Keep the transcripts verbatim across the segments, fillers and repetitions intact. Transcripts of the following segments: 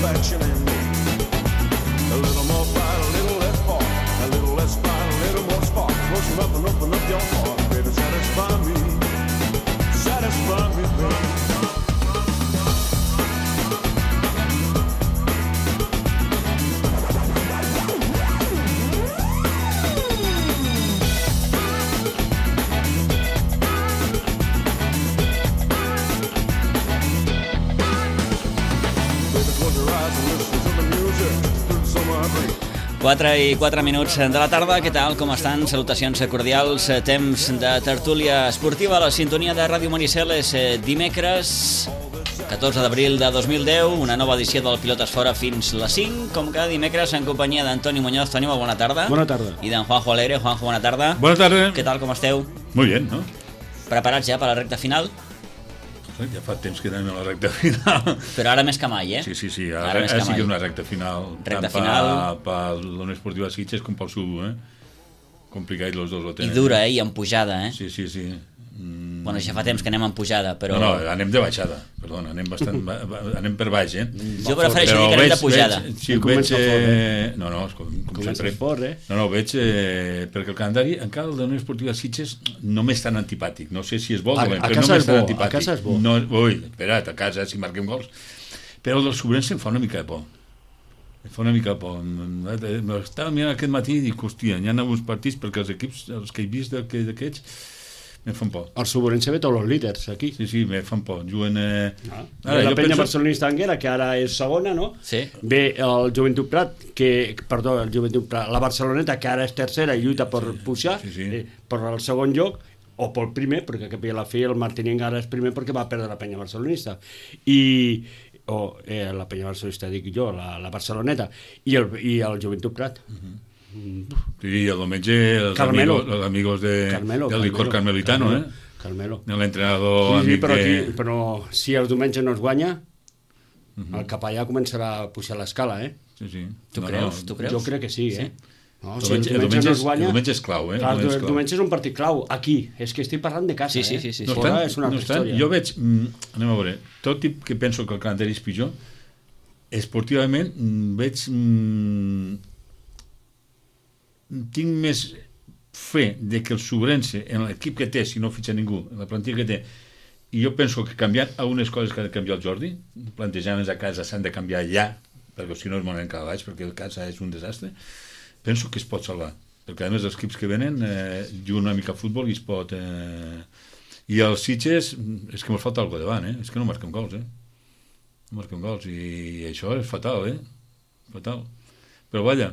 satisfaction in me. A little more fight, a little less part, a little less fight, a little more spark. Close enough and open up your heart, baby, satisfy me, satisfy me, baby. quatre i quatre minuts de la tarda, què tal, com estan? Salutacions cordials, temps de tertúlia esportiva a la sintonia de Ràdio Maricel. És dimecres catorze d'abril de dos mil deu, una nova edició del Pilotes Fora fins les cinc, com cada dimecres en companyia d'Antoni Muñoz. Toni, bona tarda. Bona tarda. I d'en Juanjo Alegre. Juanjo, bona tarda. Bona tarda. Què tal, com esteu? Muy bien, ¿no? Preparats ja per la recta final? Ja fa temps que anem a la recta final. Però ara més que mai, eh? Sí, sí, sí, ara, ara, ara sí que és una recta final. Recta tant final. per la Unió Esportiva Sitges com pel Sub, eh? Complicat, els dos ho tenen. I dura, eh? I en pujada, eh? Sí, sí, sí. Mm. Bueno, ja fa temps que anem en pujada, però... No, no, anem de baixada, perdona, anem bastant... anem per baix, eh? Jo prefereixo dir que anem de pujada. Veig, sí, veig... Eh... No, no, com, com sempre. Fort, eh? No, no, veig... Eh... Perquè el calendari, encara el de la Unió Esportiva Sitges, no m'és tan antipàtic. No sé si és bo o dolent, però no m'és tan antipàtic. A casa és bo. No, ui, espera't, a casa, si marquem gols. Però el del Sobrense em fa una mica de por. Em fa una mica de por. Estava mirant aquest matí i dic, hòstia, hi ha alguns partits perquè els equips, els que he vist d'aquests, me fan por. El Sobrense ve tots els líders aquí. Sí, sí, me fan por. Juguen... Eh... Ah. Ara, la penya penso... barcelonista Anguera, que ara és segona, no? Sí. Ve el Joventut Prat, que, perdó, el Joventut Prat, la Barceloneta, que ara és tercera i lluita per sí, pujar, sí, sí. Eh, per el segon lloc, o pel primer, perquè cap a la fi el Martinenc ara és primer perquè va perdre la penya barcelonista. I... o eh, la penya barcelonista, dic jo, la, la Barceloneta, i el, i el Joventut Prat. Uh-huh. Sí, el diumenge els Carmelo. amigos, els amigos de, Carmelo, del licor carmelitano, Carmelo, eh? Carmelo. L'entrenador sí, sí, amic però, aquí, de... però si el diumenge no es guanya, uh-huh. el capellà començarà a pujar l'escala, eh? Sí, sí. Tu no, creus? no. Tu creus? Jo crec que sí, eh? Sí. No, el, si el diumenge, el, diumenge no es guanya... el diumenge és clau, eh? Clar, el, el, el diumenge és un partit clau, aquí. És que estic parlant de casa, sí, sí, eh? sí, sí, sí. No Fora estan, és una altra no estan, història. jo veig, mm, anem a veure, tot i que penso que el calendari és pitjor, esportivament mm, veig... Mm, tinc més fe de que el Sobrense, en l'equip que té, si no fitxa ningú, en la plantilla que té, i jo penso que canviant algunes coses que ha de canviar el Jordi, plantejaments a casa s'han de canviar ja, perquè si no es moren cada baix, perquè el casa és un desastre, penso que es pot salvar, perquè a més els equips que venen eh, juguen una mica a futbol i es pot... Eh... I els Sitges, és que mos falta alguna cosa davant, eh? És que no marquem gols, eh? No marquem gols, i això és fatal, eh? Fatal. Però vaja,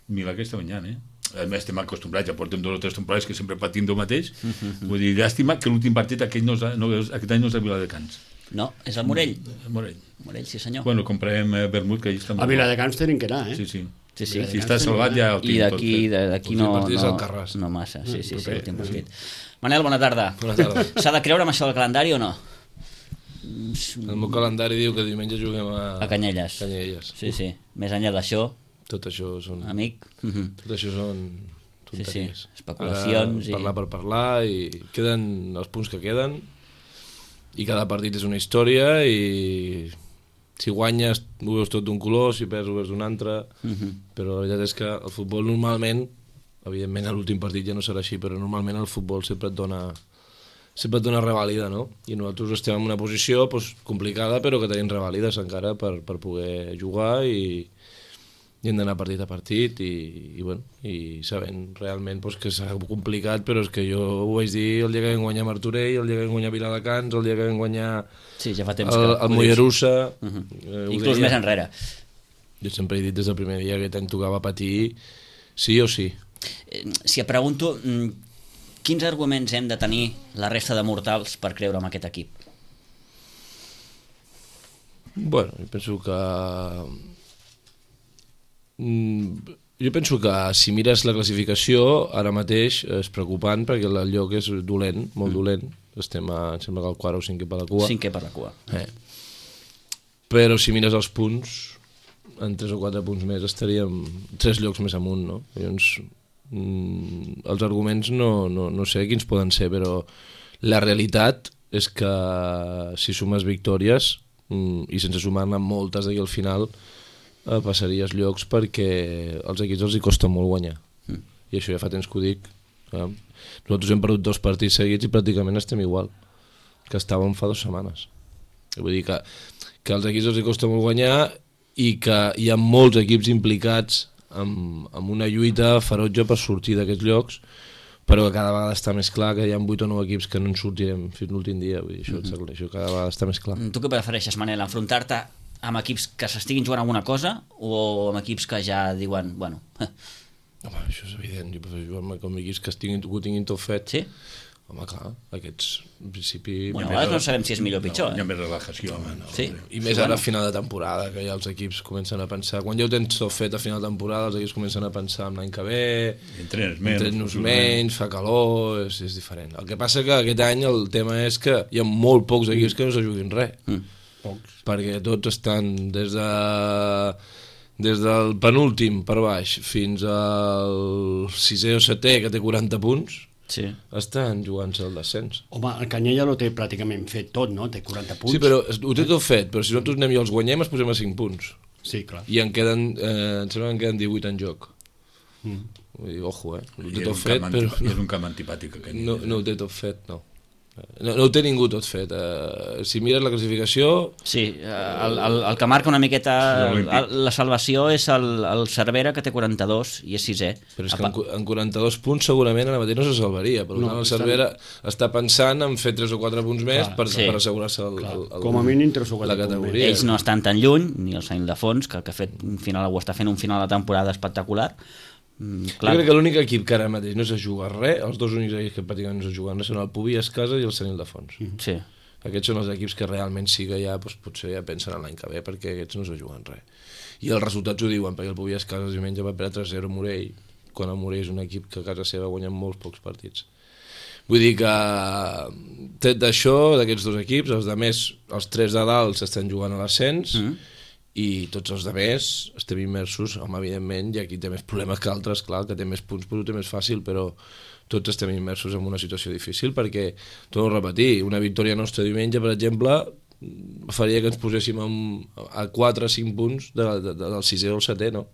mira que està guanyant, eh? A més estem acostumbrats, ja portem dos o tres temporades que sempre patim del mateix. Mm-hmm. Vull dir, llàstima que l'últim partit aquest, no, no, aquest any no és a Viladecans. No, és el Morell. Morell. Morell, sí senyor. Bueno, comprem eh, vermut, que allà està molt... A Viladecans tenim que anar, eh? Sí, sí. Sí, sí. Si està salvat ja el I tinc d'aquí d'aquí no, no, no massa. Sí, sí, sí, l'últim partit. Manel, bona tarda. Bona tarda. S'ha de creure amb això del calendari o no? El meu calendari diu que diumenge juguem a... A Canyelles. Canyelles. Sí, sí. Més enllà d'això... Tot això són... Amic. Tot això són... Sí, sí. Especulacions i... Parlar per parlar i queden els punts que queden i cada partit és una història i si guanyes ho veus tot d'un color, si perds ho veus d'un altre, uh-huh. Però la veritat és que el futbol normalment, evidentment a l'últim partit ja no serà així, però normalment el futbol sempre et dona sempre et dona revàlida, no? I nosaltres estem en una posició pues, complicada però que tenim revàlides encara per, per poder jugar i, i hem d'anar partit a partit i, i, bueno, i sabent realment pues, que serà complicat, però és que jo ho vaig dir el dia que vam guanyar Martorell, el dia que vam guanyar Viladecans, el dia que vam guanyar sí, ja fa temps el, el Mollerussa, uh-huh. eh, inclús deia. Més enrere. Jo sempre he dit des del primer dia que tant tocava patir sí o sí. Eh, si et pregunto quins arguments hem de tenir la resta de mortals per creure en aquest equip? Bueno, jo penso que jo penso que si mires la classificació ara mateix és preocupant perquè el lloc és dolent, molt dolent. Estem a, em sembla que el quart o cinquè per la cua. Cinquè per la cua. Eh. Però si mires els punts, en tres o quatre punts més estaríem tres llocs més amunt, no? Llavors, mm, els arguments no, no, no sé quins poden ser, però la realitat és que si sumes victòries mm, i sense sumar-ne moltes d'aquí al final eh, passaries llocs perquè als equips els hi costa molt guanyar. Mm. I això ja fa temps que ho dic. Eh? Nosaltres hem perdut dos partits seguits i pràcticament estem igual que estàvem fa dues setmanes. Vull dir que, que als equips els hi costa molt guanyar i que hi ha molts equips implicats amb, amb una lluita ferotge per sortir d'aquests llocs, però que cada vegada està més clar que hi ha vuit o nou equips que no en sortirem fins l'últim dia. Vull dir, això, mm-hmm. això cada vegada està més clar. Tu què prefereixes, Manel, enfrontar-te amb equips que s'estiguin jugant alguna cosa o amb equips que ja diuen, bueno... Home, això és evident, jo prefereixo jugar amb equips que, estiguin, que ho tinguin tot fet. Sí? Home, clar, aquests, en principi... Bueno, a vegades no sabem si és millor o pitjor. No, hi ha eh? més relajació. Home, no, sí? I més ara a final de temporada, que ja els equips comencen a pensar... Quan ja ho tens tot fet a final de temporada, els equips comencen a pensar en l'any que ve... Entrenes menys. Entrenes menys, fa calor, és, és diferent. El que passa que aquest any el tema és que hi ha molt pocs equips que no se juguin res. Mm. Pocs. Perquè tots estan des de... des del penúltim per baix fins al sisè o setè, que té quaranta punts, sí. Estan jugant-se el descens. Home, el Canyella no té pràcticament fet tot, no? Té quaranta punts. Sí, però ho té tot fet, però si nosaltres anem i els guanyem, es posem a cinc punts. Sí, clar. I en queden, eh, em sembla que en queden divuit en joc. Mm. Vull dir, ojo, eh? Ho té tot fet, però... No, és un camp antipàtic, aquest. No, no ho té tot fet, no. No, no ho té ningú tot fet. Uh, si mires la classificació... Sí, el, el, el que marca una miqueta la, la salvació és el, el Cervera, que té quaranta-dos i és sisè. Però és que en, en quaranta-dos punts segurament ara mateix no se salvaria. Per no, tant, el Cervera estan... està pensant en fer tres o quatre punts més clar, per, sí. per assegurar-se el, el, el, com a mínim tres o quatre la categoria. Ells no estan tan lluny, ni el Sant Ildefons, que, que ha fet un final, o està fent un final de temporada espectacular. Mm, jo crec que l'únic equip que ara mateix no se juga res, els dos únics equips que pràcticament no se juguen res són el Pubi Escasa i el Sant Ildefons. Sí. Aquests són els equips que realment sí que ja doncs, potser ja pensen en l'any que ve, perquè aquests no se juguen res. I els resultats ho diuen, perquè el Pubi Escasa diumenge va perdre tres zero a Morell, quan el Morell és un equip que a casa seva guanya molts pocs partits. Vull dir que tret d'això, d'aquests dos equips, els de més, els tres de dalt s'estan jugant a l'ascens, mm. i tots els demés estem immersos, home, evidentment, i aquí té més problemes que altres, clar, que té més punts, però ho té més fàcil, però tots estem immersos en una situació difícil, perquè, torno a repetir, una victòria nostra diumenge, per exemple, faria que ens poséssim amb, a quatre o cinc punts de, de, de, del sisè o el setè, no?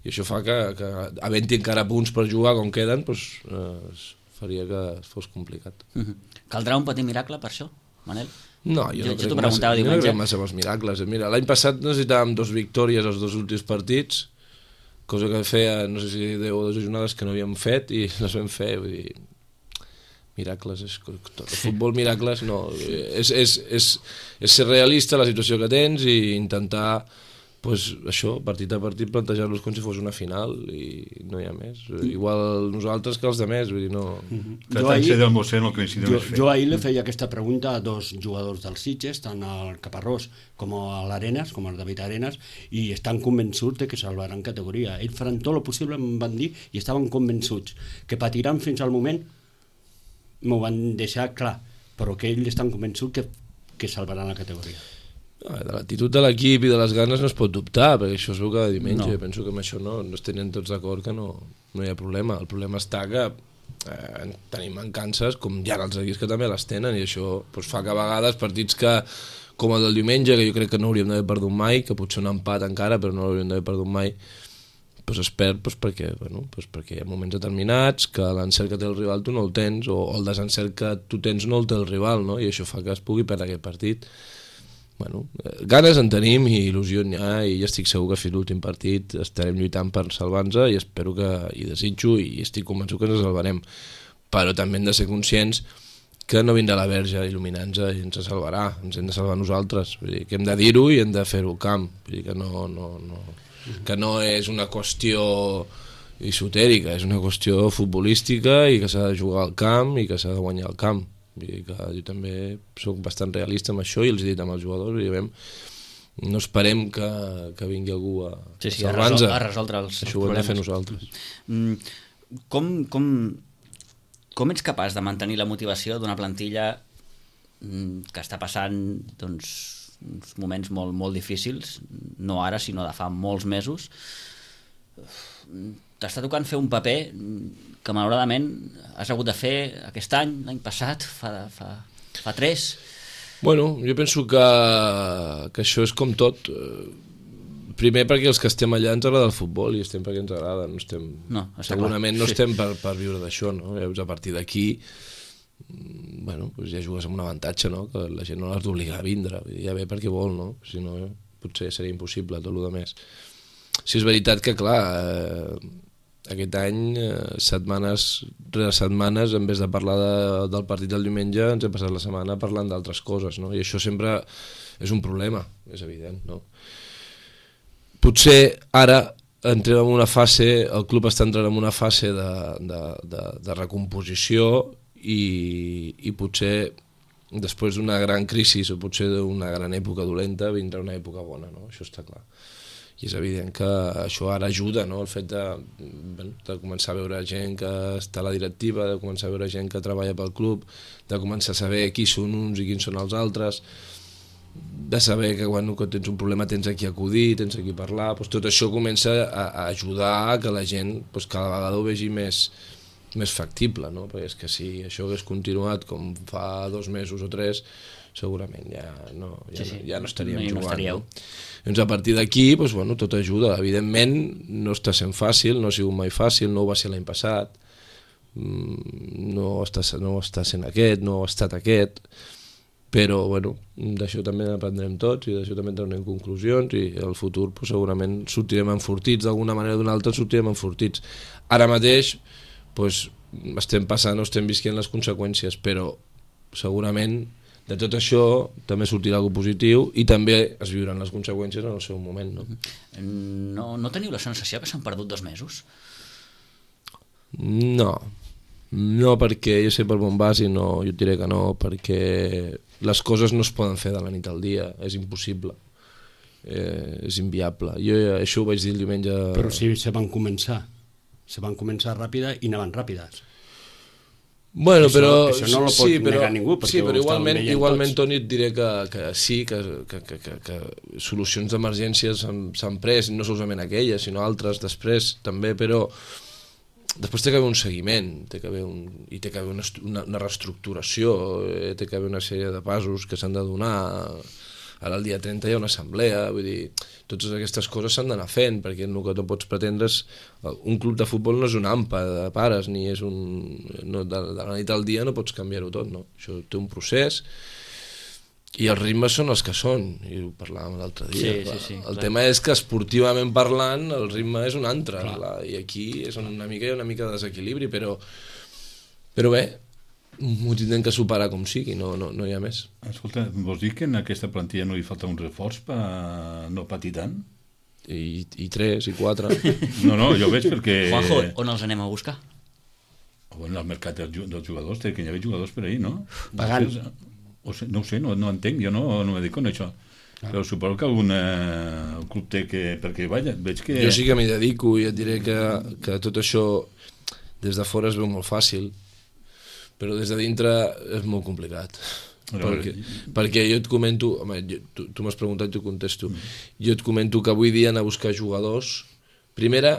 I això fa que, que havent-hi encara punts per jugar com queden, doncs, eh, faria que fos complicat. Mm-hmm. Caldrà un petit miracle per això, Manel? No, jo, jo, no crec jo massa, jo no crec massa amb els miracles. Mira, l'any passat necessitàvem dos victòries als dos últims partits, cosa que feia, no sé si deu o dues jornades que no havíem fet i les vam fer. Vull dir, miracles, és, tot, el futbol miracles, no. És, és, és, és ser realista la situació que tens i intentar, pues, això, partit a partit, plantejar-los com si fos una final i no hi ha més. Igual nosaltres que els demés, vull dir, no... Mm-hmm. Jo, ahir, no jo, jo ahir li feia aquesta pregunta a dos jugadors del Sitges, tant al Caparrós com a l'Arenas, com al David Arenas, i estan convençuts de que salvaran categoria. Ells faran tot el possible, em van dir, i estaven convençuts que patiran fins al moment, m'ho van deixar clar, però que ells estan convençuts que, que salvaran la categoria. De l'actitud de l'equip i de les ganes no es pot dubtar, perquè això es veu cada diumenge. No. Jo penso que amb això no, no es tenen tots d'acord, que no, no hi ha problema. El problema està que eh, tenim mancances, com hi ha els equips que també les tenen, i això doncs, fa que a vegades partits que, com el del diumenge, que jo crec que no hauríem d'haver perdut mai, que potser un empat encara, però no l'hauríem d'haver perdut mai, doncs es perd doncs, perquè, bueno, doncs perquè hi ha moments determinats que l'encert que té el rival tu no el tens, o el desencert que tu tens no el té el rival, no? I això fa que es pugui perdre aquest partit. Bueno, ganes en tenim i il·lusió n'hi ha, i estic segur que fins l'últim partit estarem lluitant per salvar-nos, i espero que, i desitjo i estic convençut que ens salvarem, però també hem de ser conscients que no vindrà la Verge a il·luminar-nos i ens salvarà, ens hem de salvar nosaltres. Vull dir, que hem de dir-ho i hem de fer-ho al camp. Vull dir que no, no, no, que no és una qüestió esotèrica, és una qüestió futbolística i que s'ha de jugar al camp i que s'ha de guanyar al camp. Vull dir que jo també soc bastant realista amb això i els he dit amb els jugadors, diguem, no esperem que, que vingui algú a, sí, sí, a salvar-nos, a resoldre els, això els problemes. Ho hem de fer nosaltres. Mm, com, com, com ets capaç de mantenir la motivació d'una plantilla mm, que està passant doncs, uns moments molt, molt difícils, no ara, sinó de fa molts mesos? T'està tocant fer un paper que malauradament has hagut de fer aquest any, l'any passat, fa, fa, fa tres. Bueno, jo penso que, que això és com tot. Primer perquè els que estem allà ens agrada el futbol i estem perquè ens agrada, no estem... No, segurament clar. no Sí. estem per, per viure d'això, no? Llavors, a partir d'aquí, bueno, doncs ja jugues amb un avantatge, no? Que la gent no l'has d'obligar a vindre, ja ve perquè vol, no? Si no, potser seria impossible tot el que més. Sí, és veritat que, clar, eh, aquest any, eh, setmanes rere setmanes, en vez de parlar de, del partit del diumenge, ens hem passat la setmana parlant d'altres coses, no? I això sempre és un problema, és evident, no? Potser ara entrem en una fase, el club està entrant en una fase de, de, de, de recomposició i, i potser després d'una gran crisi o potser d'una gran època dolenta vindrà una època bona, no? Això està clar. I és evident que això ara ajuda, no? El fet de, bueno, de començar a veure gent que està a la directiva, de començar a veure gent que treballa pel club, de començar a saber qui són uns i quins són els altres, de saber que quan tens un problema tens a qui acudir, tens a qui parlar, doncs tot això comença a, a ajudar a que la gent doncs cada vegada ho vegi més, més factible, no? Perquè és que si això hagués continuat com fa dos mesos o tres, segurament ja no, ja, sí, sí. ja no estaríem no jugant. No? Doncs a partir d'aquí, doncs, bueno, tot ajuda. Evidentment no està sent fàcil, no ha sigut mai fàcil, no ho va ser l'any passat, no està, no està sent aquest, no ha estat aquest, però bueno, d'això també n'aprendrem tots i d'això també traurem conclusions i el futur pues, segurament sortirem enfortits, d'alguna manera o d'una altra sortirem enfortits. Ara mateix pues, estem passant o estem visquent les conseqüències, però segurament de tot això també sortirà alguna positiu i també es viuran les conseqüències en el seu moment. No, no, no teniu la sensació que s'han perdut dos mesos? No, no, perquè jo sé per on vas i no, jo et diré que no, perquè les coses no es poden fer de la nit al dia, és impossible, eh, és inviable. Jo això ho vaig dir el diumenge... Però sí, se van començar, se van començar ràpida i anaven ràpides. Bueno, això, però... això no lo pot sí, però, negar ningú, perquè sí, però igualment, igualment tots. Toni, et diré que, que sí, que, que, que, que, que solucions d'emergència s'han pres, no solament aquelles, sinó altres després també, però... Després té que haver un seguiment, té que haver un, i té que haver una, una, una reestructuració, eh, té que haver una sèrie de passos que s'han de donar. Ara el dia trenta hi ha una assemblea, vull dir, totes aquestes coses s'han d'anar fent, perquè el que no pots pretendre és... Un club de futbol no és un ampa de pares, ni és un... No, de, de la nit al dia no pots canviar-ho tot, no? Això té un procés, i els ritmes són els que són, i ho parlàvem l'altre dia. Sí, sí, sí, el clar. tema és que esportivament parlant el ritme és un altre, clar, i aquí és una mica, hi ha una mica de desequilibri, però, però bé, ho tindrem que superar com sigui, no, no, no hi ha més. Escolta, vols dir que en aquesta plantilla no hi falta un reforç per no patir tant? I, i tres, i quatre. No, no, jo veig perquè... Juanjo, on els anem a buscar? Bueno, al mercat dels, dels jugadors, té que hi havia jugadors per ahir, no? Pagant. O sé, no ho sé, no, no entenc, jo no, no m'he dit con això. Ah. Però suposo que algun eh, club té que... Perquè, vaja, veig que... Jo sí que m'hi dedico i et diré que, que tot això des de fora es veu molt fàcil, però des de dintre és molt complicat. Però, perquè, perquè jo et comento, home, jo, tu, tu m'has preguntat i jo contesto, mm. jo et comento que avui dia anar a buscar jugadors, primera,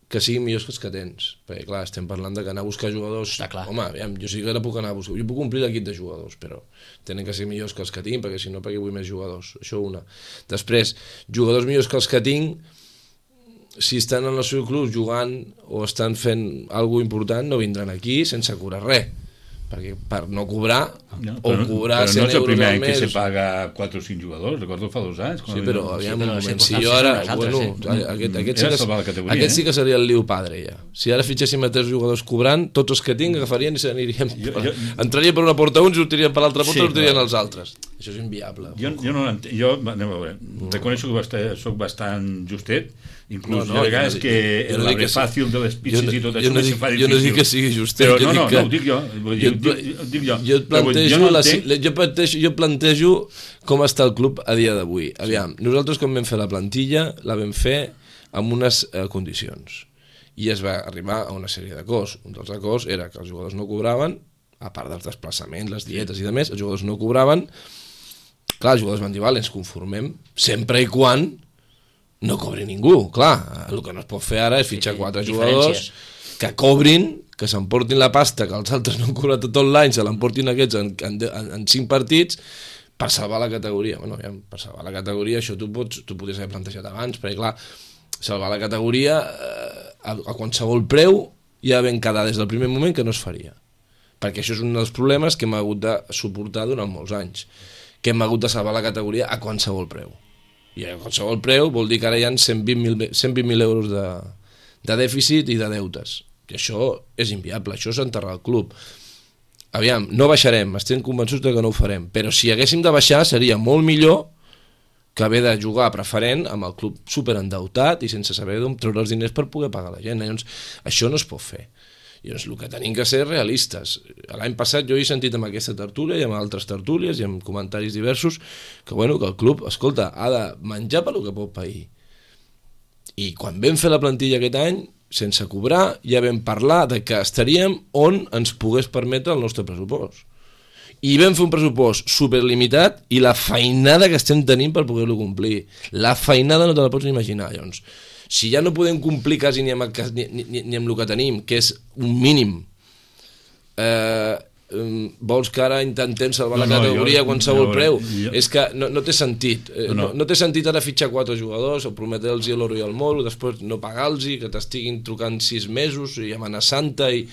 que siguin millors que els que tens, perquè clar, estem parlant de que anar a buscar jugadors, home, aviam, jo sí que ara puc anar a buscar, jo puc omplir l'equip de jugadors, però tenen que ser millors que els que tinc, perquè si no, perquè vull més jugadors, això una. Després, jugadors millors que els que tinc, si estan en el seu club jugant o estan fent alguna important, no vindran aquí sense cobrar res, perquè per no cobrar no, o però, cobrar però cent no és el primer any euros al que mes. se paga quatre o cinc jugadors, recordo fa dos anys. Sí, però aviam un moment, si sí, jo ara, altres, bueno, sí. aquest, aquest, Era sí que, salvar la categoria, aquest eh? sí que seria el liu padre ja. Si ara fitxéssim a tres jugadors cobrant, tots els que tinc agafarien i s'aniríem, Jo- jo- entraria per una porta uns i sortirien per l'altra porta Sí, i sortirien clar. els altres. Això és inviable. Jo, jo no l'entenc, jo, anem a veure, reconeixo que bastant, soc bastant justet, inclús No, no, de vegades jo no que dic- jo no el dic que abre sí. fàcil de les Jo pizzas no- i tot jo això no se dic- fa jo no difícil. dic que sigui justet, Però jo no, dic no, que- no, ho dic jo. Vull dir, Jo, ho dic, ho dic jo. jo, et Però vull dir, plantejo jo no la, entenc- jo, plantejo, jo plantejo com està el club a dia d'avui. Aviam, nosaltres quan vam fer la plantilla la vam fer amb unes eh, condicions i es va arribar a una sèrie d'acords. Un dels acords era que els jugadors no cobraven, a part dels desplaçaments, les dietes i demés, els jugadors no cobraven. Clar, els jugadors van dir, vale, ens conformem, sempre i quan no cobri ningú. Clar, el que no es pot fer ara és fitxar Sí, quatre diferències. jugadors que cobrin, que s'emportin la pasta que els altres no han cobrat tot l'any, se l'emportin aquests en, en, en, en cinc partits, per salvar la categoria. Bueno, ja, per salvar la categoria, això tu pots, tu podries haver plantejat abans, perquè clar, salvar la categoria eh, a, a qualsevol preu ja ben quedar des del primer moment que no es faria. Perquè això és un dels problemes que hem hagut de suportar durant molts anys, que hem hagut de salvar la categoria a qualsevol preu. I a qualsevol preu vol dir que ara hi ha cent vint mil euros de, de dèficit i de deutes. I això és inviable, això és enterrar el club. Aviam, no baixarem, estem convençuts de que no ho farem, però si haguéssim de baixar seria molt millor que haver de jugar preferent amb el club superendeutat i sense saber d'on treure els diners per poder pagar la gent. Llavors, això no es pot fer. Llavors, el que tenim que ser realistes. L'any passat jo he sentit amb aquesta tertúlia i amb altres tertúlies i amb comentaris diversos que, bueno, que el club, escolta, ha de menjar per lo que pot pair. I quan vam fer la plantilla aquest any, sense cobrar, ja vam parlar de que estaríem on ens pogués permetre el nostre pressupost. I vam fer un pressupost superlimitat i la feinada que estem tenint per poder-lo complir. La feinada no te la pots ni imaginar, llavors. Si ja no podem complir quasi ni amb, el, ni, ni, ni amb el que tenim, que és un mínim, eh, vols que ara intentem salvar no, la categoria no, jo, a qualsevol jo, preu? Jo, és que no, no té sentit. No, no. no té sentit ara fitxar quatre jugadors, o prometre-los l'oro i el moro, després no pagar-los, que t'estiguin trucant sis mesos i amenaçant-te i...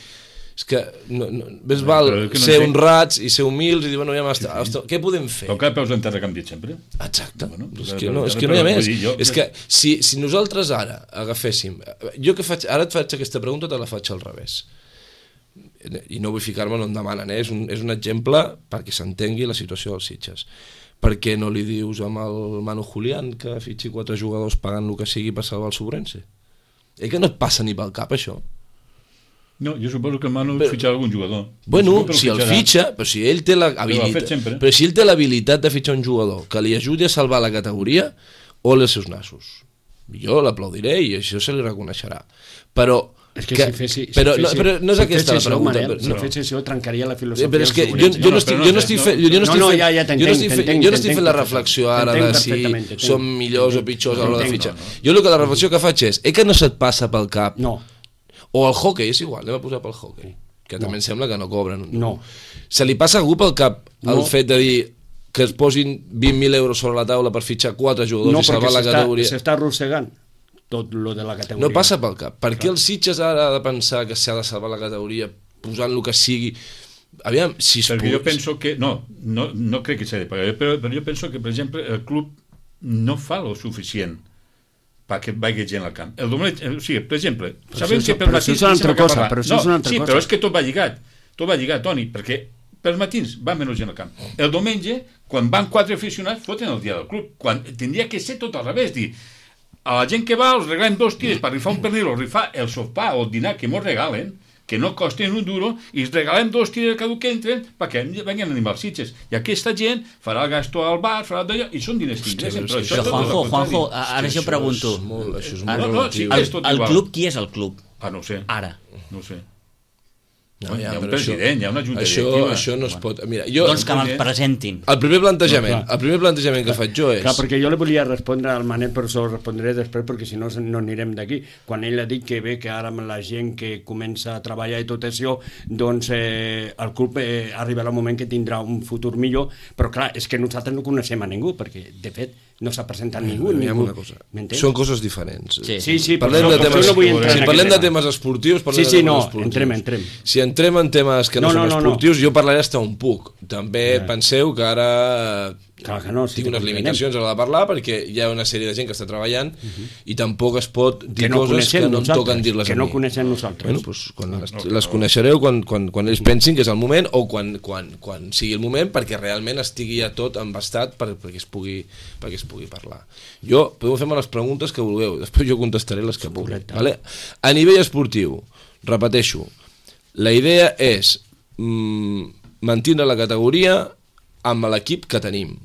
És que no, no, més val no ser no honrats i ser humils i dir, bueno, ja m'està, sí, sí. Què podem fer? Tocar peus en terra canviat sempre. Exacte. Bueno, és, que no, és que no hi ha més. Jo, és que si, si nosaltres ara agaféssim... Jo que faig, ara et faig aquesta pregunta, te la faig al revés. I no vull ficar-me on em demanen, eh? és, un, és un exemple perquè s'entengui la situació dels Sitges. Per què no li dius amb el Manu Julián que fitxi quatre jugadors pagant el que sigui per salvar el Sobrense? Eh que no et passa ni pel cap això? No, jo suposo que el Manu però, fitxarà algun jugador. Bueno, si el fitxa, però si ell té l'habilitat, però si ell té l'habilitat de fitxar un jugador que li ajudi a salvar la categoria, ole els seus nassos. Jo l'aplaudiré i això se li reconeixerà. Però és que, que si fessi, si però, fessi, no, però no és si aquesta la pregunta. Manel, però, si no. fes això trencaria la filosofia. Però és que jo, jo no estic jo no estic fent jo no estic fent ja, ja jo no estic fent jo no estic fent la reflexió ara de si som millors o pitjors a l'hora de fitxar. Jo el que la reflexió que faig és, eh que no se't passa pel cap? No. O el hockey, és igual, anem a posar pel hockey, que també no. Em sembla que no cobren. No. Se li passa a algú pel cap el no. fet de dir que es posin vint mil euros sobre la taula per fitxar quatre jugadors no, i salvar la categoria? No, perquè s'està arrossegant tot lo de la categoria. No passa pel cap. Per què els Sitges ara ha de pensar que s'ha de salvar la categoria posant el que sigui? Aviam, si es perquè pogués... jo penso que... No, no, no crec que s'ha de pagar, però, però jo penso que, per exemple, el club no fa lo suficient perquè vagi gent al camp. El Domènec, o sigui, per exemple, sabem que per matins... Però això és una altra cosa, però això és una altra cosa. Sí, cosa. però és que tot va lligat, tot va lligat, Toni, perquè per matins va menys gent al camp. El diumenge, quan van quatre aficionats, foten el dia del club, quan tindria que ser tot al revés, dir, a la gent que va els regalem dos tires per rifar un pernil o rifar el sopar o el dinar que mos regalen, que no costen un duro, i els regalem dos tires cada que entren perquè venguin a animar els Sitges. I aquesta gent farà el gasto al bar, farà d'allò, i són diners que ingressen. Però, però Juanjo, Juanjo, ara jo pregunto. Molt, això és molt no, no, sí, el, és tot el igual. club, qui és el club? Ah, no ho sé. Ara. No ho sé. No, ja, hi ha un però president, això, hi ha una junta això, directiva. això no es bueno. pot... Mira, jo, doncs que me'l presentin. El primer plantejament, no, el primer plantejament que faig jo és... Clar, perquè jo li volia respondre al Manel, però s'ho respondré després, perquè si no no anirem d'aquí. Quan ell ha dit que bé, que ara amb la gent que comença a treballar i tot això, doncs eh, el club eh, arribarà un moment que tindrà un futur millor, però clar, és que nosaltres no coneixem a ningú, perquè de fet no s'ha presentat ningú. ningú. Una cosa. Són coses diferents. Sí, sí, sí parlem però de temes, no vull entrar si en parlem de tema. temes esportius, parlem sí, sí, de temes no, esportius. entrem, entrem. Si entrem en temes que no, no són no, esportius, no. Jo parlaré hasta on puc. També ja. Penseu que ara clar que no, sí, tinc unes limitacions a l'hora de parlar perquè hi ha una sèrie de gent que està treballant uh-huh. I tampoc es pot dir no coses que no em toquen dir-les que a mi. no coneixem nosaltres. Bueno, pues, quan no, les, no, les coneixereu quan, quan, quan ells pensin que és el moment o quan, quan, quan sigui el moment perquè realment estigui ja tot embastat per, perquè, es pugui, perquè es pugui parlar. Jo, podeu fer-me les preguntes que vulgueu, després jo contestaré les que pugui. Vale? A nivell esportiu, repeteixo, la idea és mmm, mantenir la categoria amb l'equip que tenim.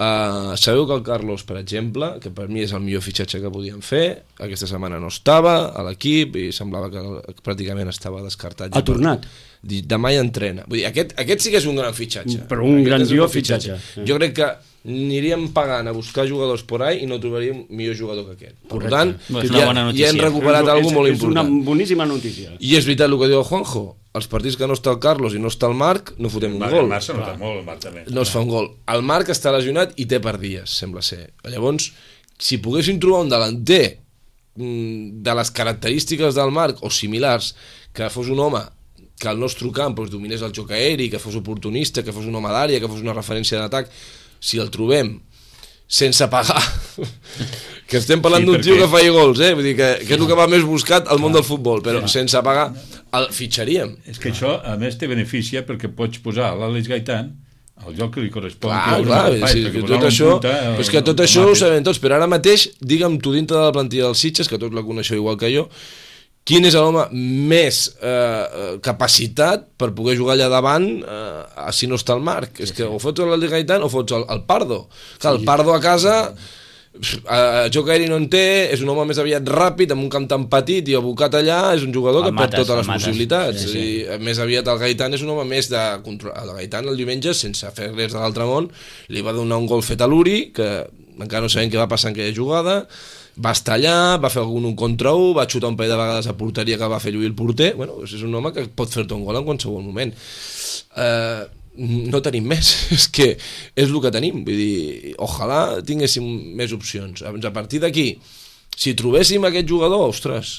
Uh, sabeu que el Carlos, per exemple, que per mi és el millor fitxatge que podíem fer, aquesta setmana no estava a l'equip i semblava que pràcticament estava descartat. Ha tornat? Demà ja entrena. Vull dir, aquest, aquest sí que és un gran fitxatge. Però un grandiós fitxatge. fitxatge. Jo crec que aniríem pagant a buscar jugadors por ahí i no trobaríem millor jugador que aquest. Per Correcte. tant, És una ja, bona ja notícia. hem recuperat és, alguna molt és una important. boníssima notícia. I és veritat el que diu el Juanjo, els partits que no està el Carlos i no està el Marc, no fotem un Marc, gol. el Marc se nota molt, el Marc també. No es fa un gol. El Marc està lesionat i té per dies, sembla ser. Llavors, si poguéssim trobar un delanter de les característiques del Marc o similars, que fos un home que al nostre camp doncs, dominés el joc aeri, que fos oportunista, que fos un home d'àrea, que fos una referència d'atac, si el trobem sense pagar que estem parlant Sí, d'un perquè- tio que faci gols, eh? Vull dir que, que és el que va més buscat al món del futbol, però sense pagar el fitxaríem. És que això, a més, te beneficia perquè pots posar l'Àlex Gaitán al lloc que li correspon. Clar, que clar, espai, sí, perquè que posar tot un això, punta, però és el- que tot el això ho Mates. sabem tots, però ara mateix, digue'm tu dintre de la plantilla dels Sitges, que tots la coneixeu igual que jo, quin és l'home més eh, capacitat per poder jugar allà davant eh, si no està el Marc? Sí, és que sí. O fots el Gaitán o fots el, el Pardo. Clar, el Pardo a casa eh, joc aeri no en té, és un home més aviat ràpid, amb un camp tan petit i abocat allà, és un jugador El que mates, perd totes el les mates. possibilitats. Sí, sí. I, més aviat el Gaitán és un home més de control. El Gaitán el diumenge, sense fer res de l'altre món, li va donar un gol fet a l'Uri, que encara no sabem què va passar en aquella jugada, va estar allà, va fer algun un contra un, va xutar un parell de vegades a porteria que va fer lluir el porter. Bueno, és un home que pot fer-te un gol en qualsevol moment. Eh, no tenim més, és que és el que tenim, vull dir, ojalà tinguéssim més opcions. A partir d'aquí, si trobéssim aquest jugador, ostres,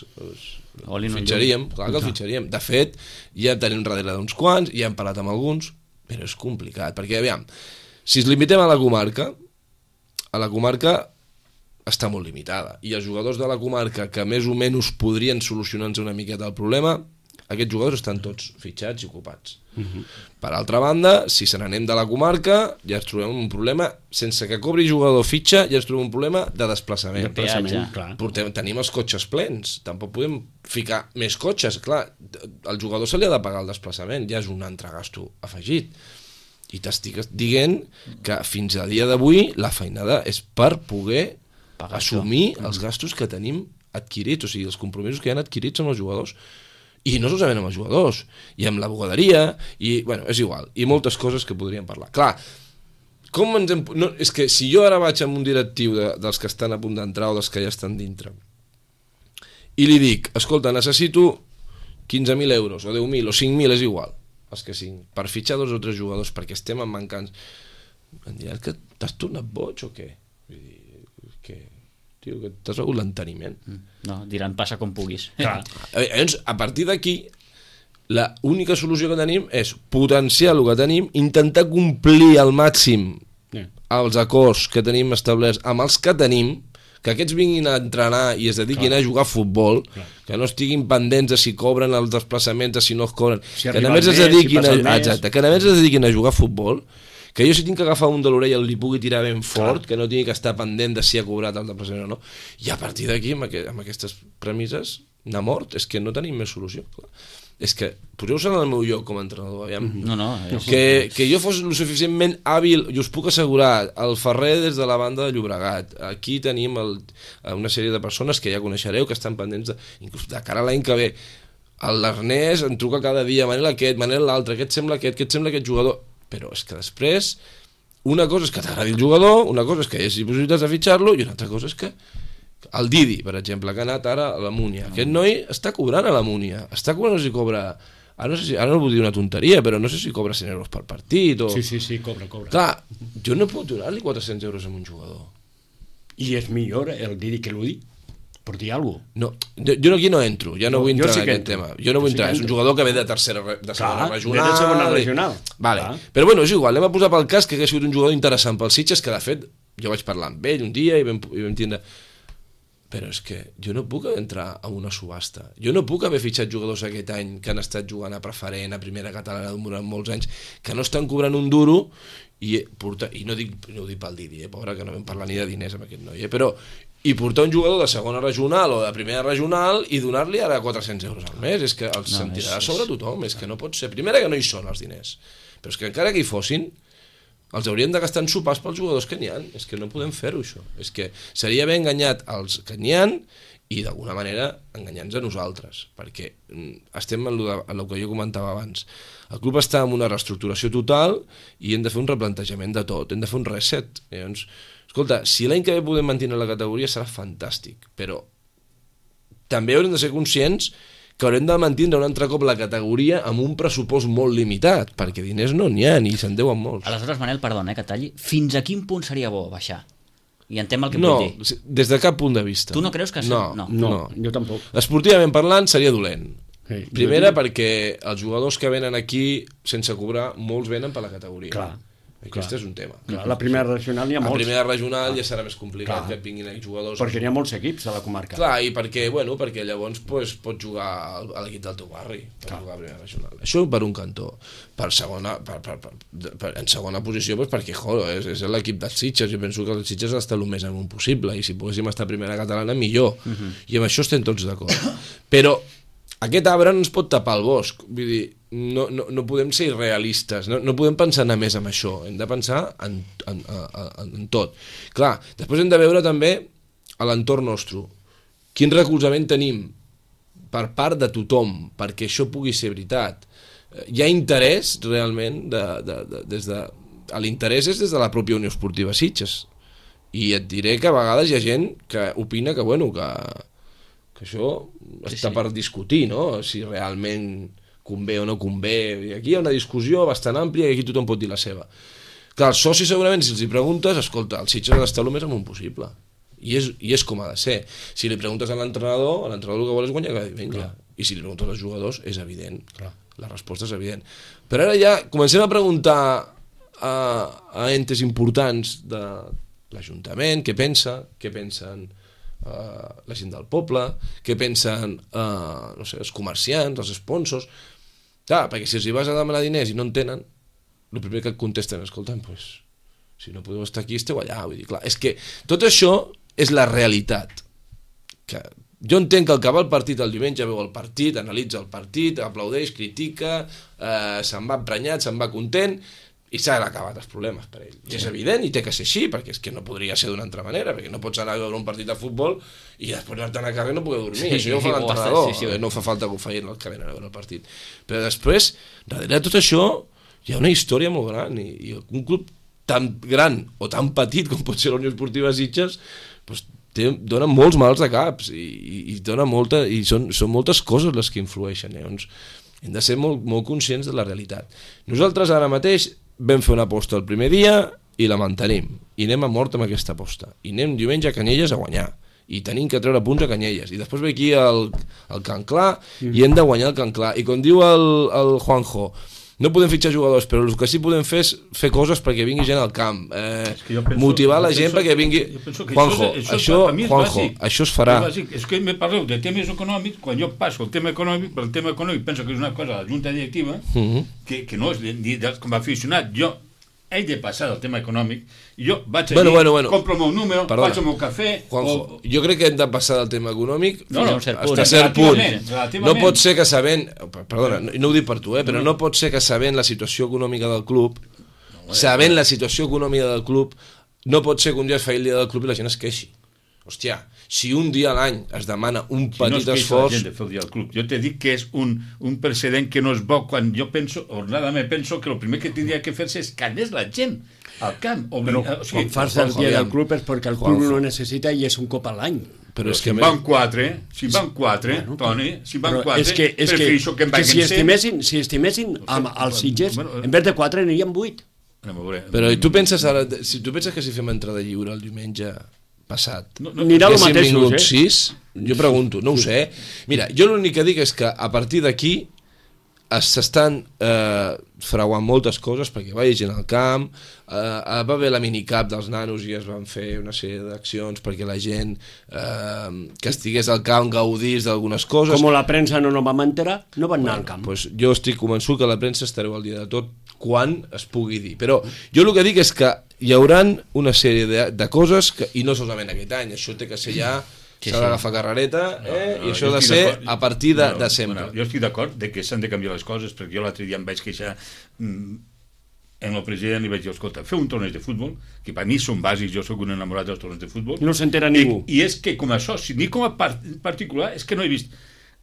Oli el no fitxaríem, clar que el fitxaríem. De fet, ja tenim darrere d'uns quants, ja hem parlat amb alguns, però és complicat, perquè, aviam, si ens limitem a la comarca, a la comarca està molt limitada, i els jugadors de la comarca que més o menys podrien solucionar-nos una miqueta el problema, aquests jugadors estan tots fitxats i ocupats. Uh-huh. Per altra banda, si se n'anem de la comarca, ja ens trobem un problema, sense que cobri jugador fitxa, ja ens trobem un problema de desplaçament. De peatge. Clar. Portem, tenim els cotxes plens, tampoc podem ficar més cotxes, clar, al jugador se li ha de pagar el desplaçament, ja és un altre gasto afegit. I t'estic dient que fins a dia d'avui la feinada és per poder Pagar assumir això. Els gastos que tenim adquirits, o sigui, els compromisos que hi han adquirits amb els jugadors. I no solament amb els jugadors, i amb la bugaderia, i, bueno, és igual, i moltes coses que podríem parlar. Clar, com ens hem... No, és que si jo ara vaig amb un directiu de, dels que estan a punt d'entrar o dels que ja estan dintre, i li dic, escolta, necessito quinze mil euros, o deu mil, o cinc mil, és igual, els que siguin, per fitxar dos o tres jugadors, perquè estem en mancants, em diran que t'has tornat boig o què? Vull dir, que... Tio, que t'has begut l'enteniment. No, diran passa com puguis. Clar. Llavors, a partir d'aquí, la única solució que tenim és potenciar el que tenim, intentar complir al màxim Yeah. els acords que tenim establerts amb els que tenim, que aquests vinguin a entrenar i es dediquin Clar. a jugar a futbol, Clar. que no estiguin pendents de si cobren els desplaçaments, de si no es cobren, Si que arriben només es més, si dediquin a, passen més. exacte, que només es dediquin a jugar a futbol, que jo si tinc que agafar un de l'orella li pugui tirar ben fort, que no tingui que estar pendent de si ha cobrat el desplaçament o no, i a partir d'aquí, amb, aqu amb aquestes premisses, anar mort, és que no tenim més solució. Clar. És que poseu-vos en el meu lloc com a entrenador, aviam. No, no, és... Que, que jo fos lo suficientment hàbil, i us puc assegurar, el Ferrer des de la banda de Llobregat, aquí tenim el, una sèrie de persones que ja coneixereu, que estan pendents de, inclús de cara a l'any que ve. L'Ernest em truca cada dia, Manel aquest, Manel l'altre, aquest sembla aquest, aquest sembla aquest jugador, però és que després una cosa és que t'agradi el jugador, una cosa és que hi hagi possibilitats de fitxar-lo, i una altra cosa és que el Didi, per exemple, que ha anat ara a la Múnia, aquest noi està cobrant a la Múnia, està cobrant, no sé si cobra, ara no, sé si, ara no vull dir una tonteria, però no sé si cobra cent euros per partit o... Sí, sí, sí, cobra, cobra. Clar, jo no puc donar-li quatre-cents euros a un jugador. I és millor el Didi que l'Udi, per dir alguna cosa. No, jo, jo aquí no entro, ja no, No, vull jo entrar sí en que aquest entro. tema. Jo no vull Jo sí entrar, que és un entro. jugador que ve de tercera, de segona Clar, regional. ve de segona i- regional. Vale. Clar. Però bueno, és igual, anem a posar pel cas que hagués sigut un jugador interessant pels Sitges, que de fet jo vaig parlar amb ell un dia i vam, i vam tindre... Però és que jo no puc entrar a una subhasta. Jo no puc haver fitxat jugadors aquest any que han estat jugant a preferent, a primera catalana durant molts anys, que no estan cobrant un duro i, portar, i no, dic, no ho dic pel Didi, eh, pobre, que no vam parlar ni de diners amb aquest noi, eh, però i portar un jugador de segona regional o de primera regional i donar-li ara quatre-cents euros al mes, és que els No, sentirà és- sobre tothom, és que no pot ser. Primera, que no hi són els diners, però és que encara que hi fossin, els haurien de gastar en sopars pels jugadors que n'hi ha. És que no podem fer-ho, això. És que seria haver enganyat els que n'hi ha i d'alguna manera enganyant-nos a nosaltres, perquè estem en el que jo comentava abans. El club està en una reestructuració total i hem de fer un replantejament de tot, hem de fer un reset. Llavors, escolta, si l'any que ve podem mantenir la categoria serà fantàstic, però també haurem de ser conscients que haurem de mantenir un altre cop la categoria amb un pressupost molt limitat, perquè diners no n'hi ha, ni se'n deuen molts. Aleshores, Manel, perdona, eh, que talli, fins a quin punt seria bo baixar? I entenc el que no, vull dir. Des de cap punt de vista. Tu no creus que... No, no. No, no. jo tampoc. Esportivament parlant, seria dolent. Sí, Primera, jo... perquè els jugadors que venen aquí sense cobrar, molts venen per la categoria. Clar. Aquest clar. és un tema. Clar, la primera regional n'hi ha A molts. la primera regional ja serà més complicat Clar. que vinguin aquí jugadors. Perquè n'hi ha molts equips a la comarca. Clar, i perquè, bueno, perquè llavors pues, pots jugar al- a l'equip del teu barri, per jugar a primera regional. Això per un cantó. Per segona, per, per, per, per, en segona posició, pues, perquè, joder, és, és l'equip dels Sitges. Jo penso que els Sitges ha d'estar el més amunt possible, i si poguéssim estar a primera catalana, millor. Uh -huh. I amb això estem tots d'acord. Però aquest arbre no ens pot tapar el bosc. Vull dir, no, no, no podem ser irrealistes, no, no podem pensar anar més amb això, hem de pensar en, en, en, en tot. Clar, després hem de veure també a l'entorn nostre. Quin recolzament tenim per part de tothom perquè això pugui ser veritat? Hi ha interès realment de, de, de, des de... L'interès és des de la pròpia Unió Esportiva Sitges. I et diré que a vegades hi ha gent que opina que, bueno, que, que això Sí, està sí. per discutir, no? Si realment convé o no convé. I aquí hi ha una discussió bastant àmplia i aquí tothom pot dir la seva. Clar, els socis segurament, si els hi preguntes, escolta, el Sitges ha d'estar el més amunt possible. I és, I és com ha de ser. Si li preguntes a l'entrenador, l'entrenador el que vol és guanyar cada diumenge. Clar. I si li preguntes als jugadors, és evident. Clar. La resposta és evident. Però ara ja comencem a preguntar a, a entes importants de l'Ajuntament, què pensa, què pensen Uh, la gent del poble, què pensen uh, no sé, els comerciants, els sponsors. Clar, perquè si els hi vas a demanar diners i no en tenen, el primer que et contesten, escolta'm, pues, si no podeu estar aquí, esteu allà. Vull dir, clar, és que tot això és la realitat. Que jo entenc que el que va al partit el diumenge veu el partit, analitza el partit, aplaudeix, critica, uh, se'n va emprenyat, se'n va content, i s'han acabat els problemes per ell. I és evident, i té que ser així, perquè és que no podria ser d'una altra manera, perquè no pots anar a veure un partit de futbol i després anar-te a carrer i no poder dormir. Sí, Això ja ho fa sí, l'entrenador, sí, sí, sí. no fa falta que ho facin els que venen a veure el partit. Però després, darrere de tot això, hi ha una història molt gran, i, i un club tan gran o tan petit com pot ser la Unió Esportiva Sitges, doncs, té, dona molts mals de caps, i, i, i, dona molta, i són, són moltes coses les que influeixen. Llavors, hem de ser molt, molt conscients de la realitat. Nosaltres ara mateix vam fer una aposta el primer dia i la mantenim, i anem a mort amb aquesta aposta, i anem diumenge a Canyelles a guanyar, i tenim que treure punts a Canyelles, i després ve aquí el, el Can Clar mm. i hem de guanyar el Can Clar, i com diu el, el Juanjo, no podem fitxar jugadors, però el que sí podem fer és fer coses perquè vingui gent al camp, eh, penso, motivar la gent penso, perquè vingui... Juanjo, això, això, això, Juanjo, això es farà. És, és que me parleu de temes econòmics, quan jo passo el tema econòmic, per el tema econòmic penso que és una cosa de la Junta Directiva, uh -huh. que, que no és ni de, com a aficionat, jo he de passar del tema econòmic, i jo vaig allí, bueno, bueno, bueno. compro el meu número, Perdona. faig el meu cafè... Juanjo, o... jo crec que hem de passar del tema econòmic no, no, fins punt, a cert punt. relativament. No pot ser que sabent, perdona, no, no ho dic per tu, eh, però no pot ser que sabent la situació econòmica del club, no, sabent la situació econòmica del club, no pot ser que un dia es faci el dia del club i la gent es queixi. Hòstia, si un dia a l'any es demana un petit si no es esforç... la gent de fer el dia del club. Jo t'he dit que és un, un precedent que no és bo quan jo penso, ordenadament penso que el primer que tindria que fer-se és callar la gent al camp. Obli... Però o sigui, quan fas el dia del club és perquè el club Juanjo. no necessita i és un cop a l'any. Però és si que... en van quatre, si en van quatre, Bueno, Toni, si en van Però quatre, és que, és que, prefereixo que en que vagin si cent. estimessin, si estimessin amb els Sitges, en vez de quatre n'hi vuit. Anem a veure. Però i tu penses ara, si tu penses que si fem entrada lliure el diumenge passat, No, no, Anirà el haguéssim mateix, vingut eh? sis, jo pregunto, no ho sé. Mira, jo l'únic que dic és que a partir d'aquí s'estan eh, frauant moltes coses perquè va gent al camp, eh, va haver la minicap dels nanos i es van fer una sèrie d'accions perquè la gent eh, que estigués al camp gaudís d'algunes coses. Com la premsa no nos vam enterar, no van anar al camp. Pues jo estic convençut que la premsa estareu al dia de tot quan es pugui dir, però jo el que dic és que hi hauran una sèrie de, de coses que, i no solament aquest any, això té que ser ja Sí, s'ha sí. d'agafar carrereta, eh? No, no, i això jo ha de estic ser d'acord. a partir de, No, de sempre. Bueno, jo estic d'acord de que s'han de canviar les coses, perquè jo l'altre dia em vaig queixar... Mm, en el president li vaig dir, escolta, feu un torneig de futbol, que per mi són bàsics, jo sóc un enamorat dels torneigs de futbol. I no s'entera ningú. I, I és que com a soci, ni com a part, particular, és que no he vist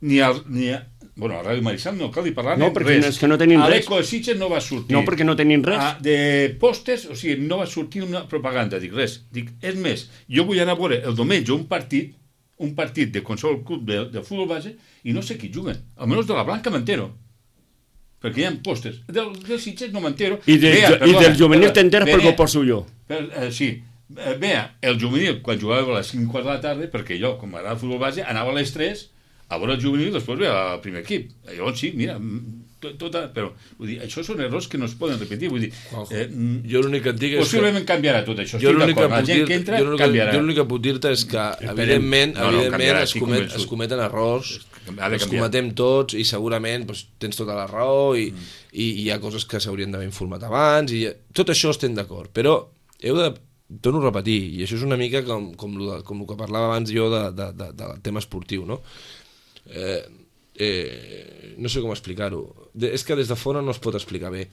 ni al... Ni a, bueno, a Ràdio Maricel no cal dir parlar no, perquè res. És que no tenim a res. l'Eco de Sitges no va sortir. No, perquè no tenim res. A, de pòsters, o sigui, no va sortir una propaganda, dic res. Dic, és més, jo vull anar a veure el diumenge un partit, un partit de qualsevol club de, de futbol base, i no sé qui juguen. Almenys de la Blanca m'entero. Perquè hi ha pòsters. Del, del Sitges no m'entero. I, de, Vea, i del juvenil t'enteres perquè ho poso jo. Per, eh, sí. Vea, el juvenil, quan jugava a les cinc quarts de la tarda, perquè jo, com m'agrada el futbol base, anava a les tres a veure el juvenil, després ve al primer equip. Llavors sí, mira, tot, tot, però vull dir, això són errors que no es poden repetir. Vull dir, eh, jo l'únic que et dic és possiblement que... canviarà tot això. Jo l'únic que, la gent que entra jo canviarà. Jo l'únic que puc dir-te és que, evidentment, no, no, evidentment es, comet, es cometen errors, els cometem tots i segurament doncs, tens tota la raó i, mm. i, i hi ha coses que s'haurien d'haver informat abans i tot això estem d'acord, però heu de torno a repetir, i això és una mica com, com, com el que parlava abans jo de, de, de, del tema esportiu, no? Eh, eh, no sé com explicar-ho, de, és que des de fora no es pot explicar bé.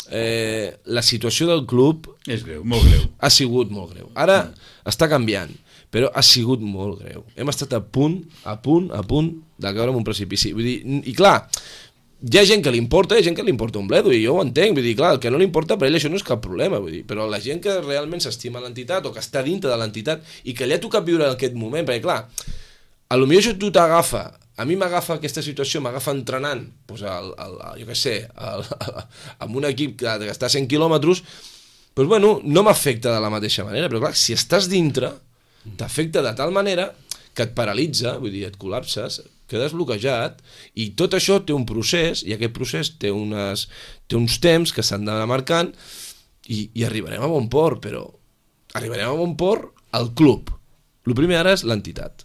Eh, la situació del club és greu, molt greu, ha sigut molt greu, ara mm. està canviant, però ha sigut molt greu, hem estat a punt a punt, a punt de caure en un precipici, vull dir, i clar, hi ha gent que li importa, hi ha gent que li importa un bledo, i jo ho entenc, vull dir, clar, el que no li importa per ell això no és cap problema, vull dir, però la gent que realment s'estima l'entitat o que està dintre de l'entitat i que li ha tocat viure en aquest moment, perquè clar, a lo millor això tu t'agafa, a mi m'agafa aquesta situació, m'agafa entrenant, doncs el, el, jo què sé, el, el, amb un equip que, que està a cent quilòmetres, doncs bueno, no m'afecta de la mateixa manera, però clar, si estàs dintre, t'afecta de tal manera que et paralitza, vull dir, et col·lapses, quedes bloquejat, i tot això té un procés, i aquest procés té, unes, té uns temps que s'han d'anar marcant, i, i arribarem a bon port, però arribarem a bon port al club. El primer ara és l'entitat.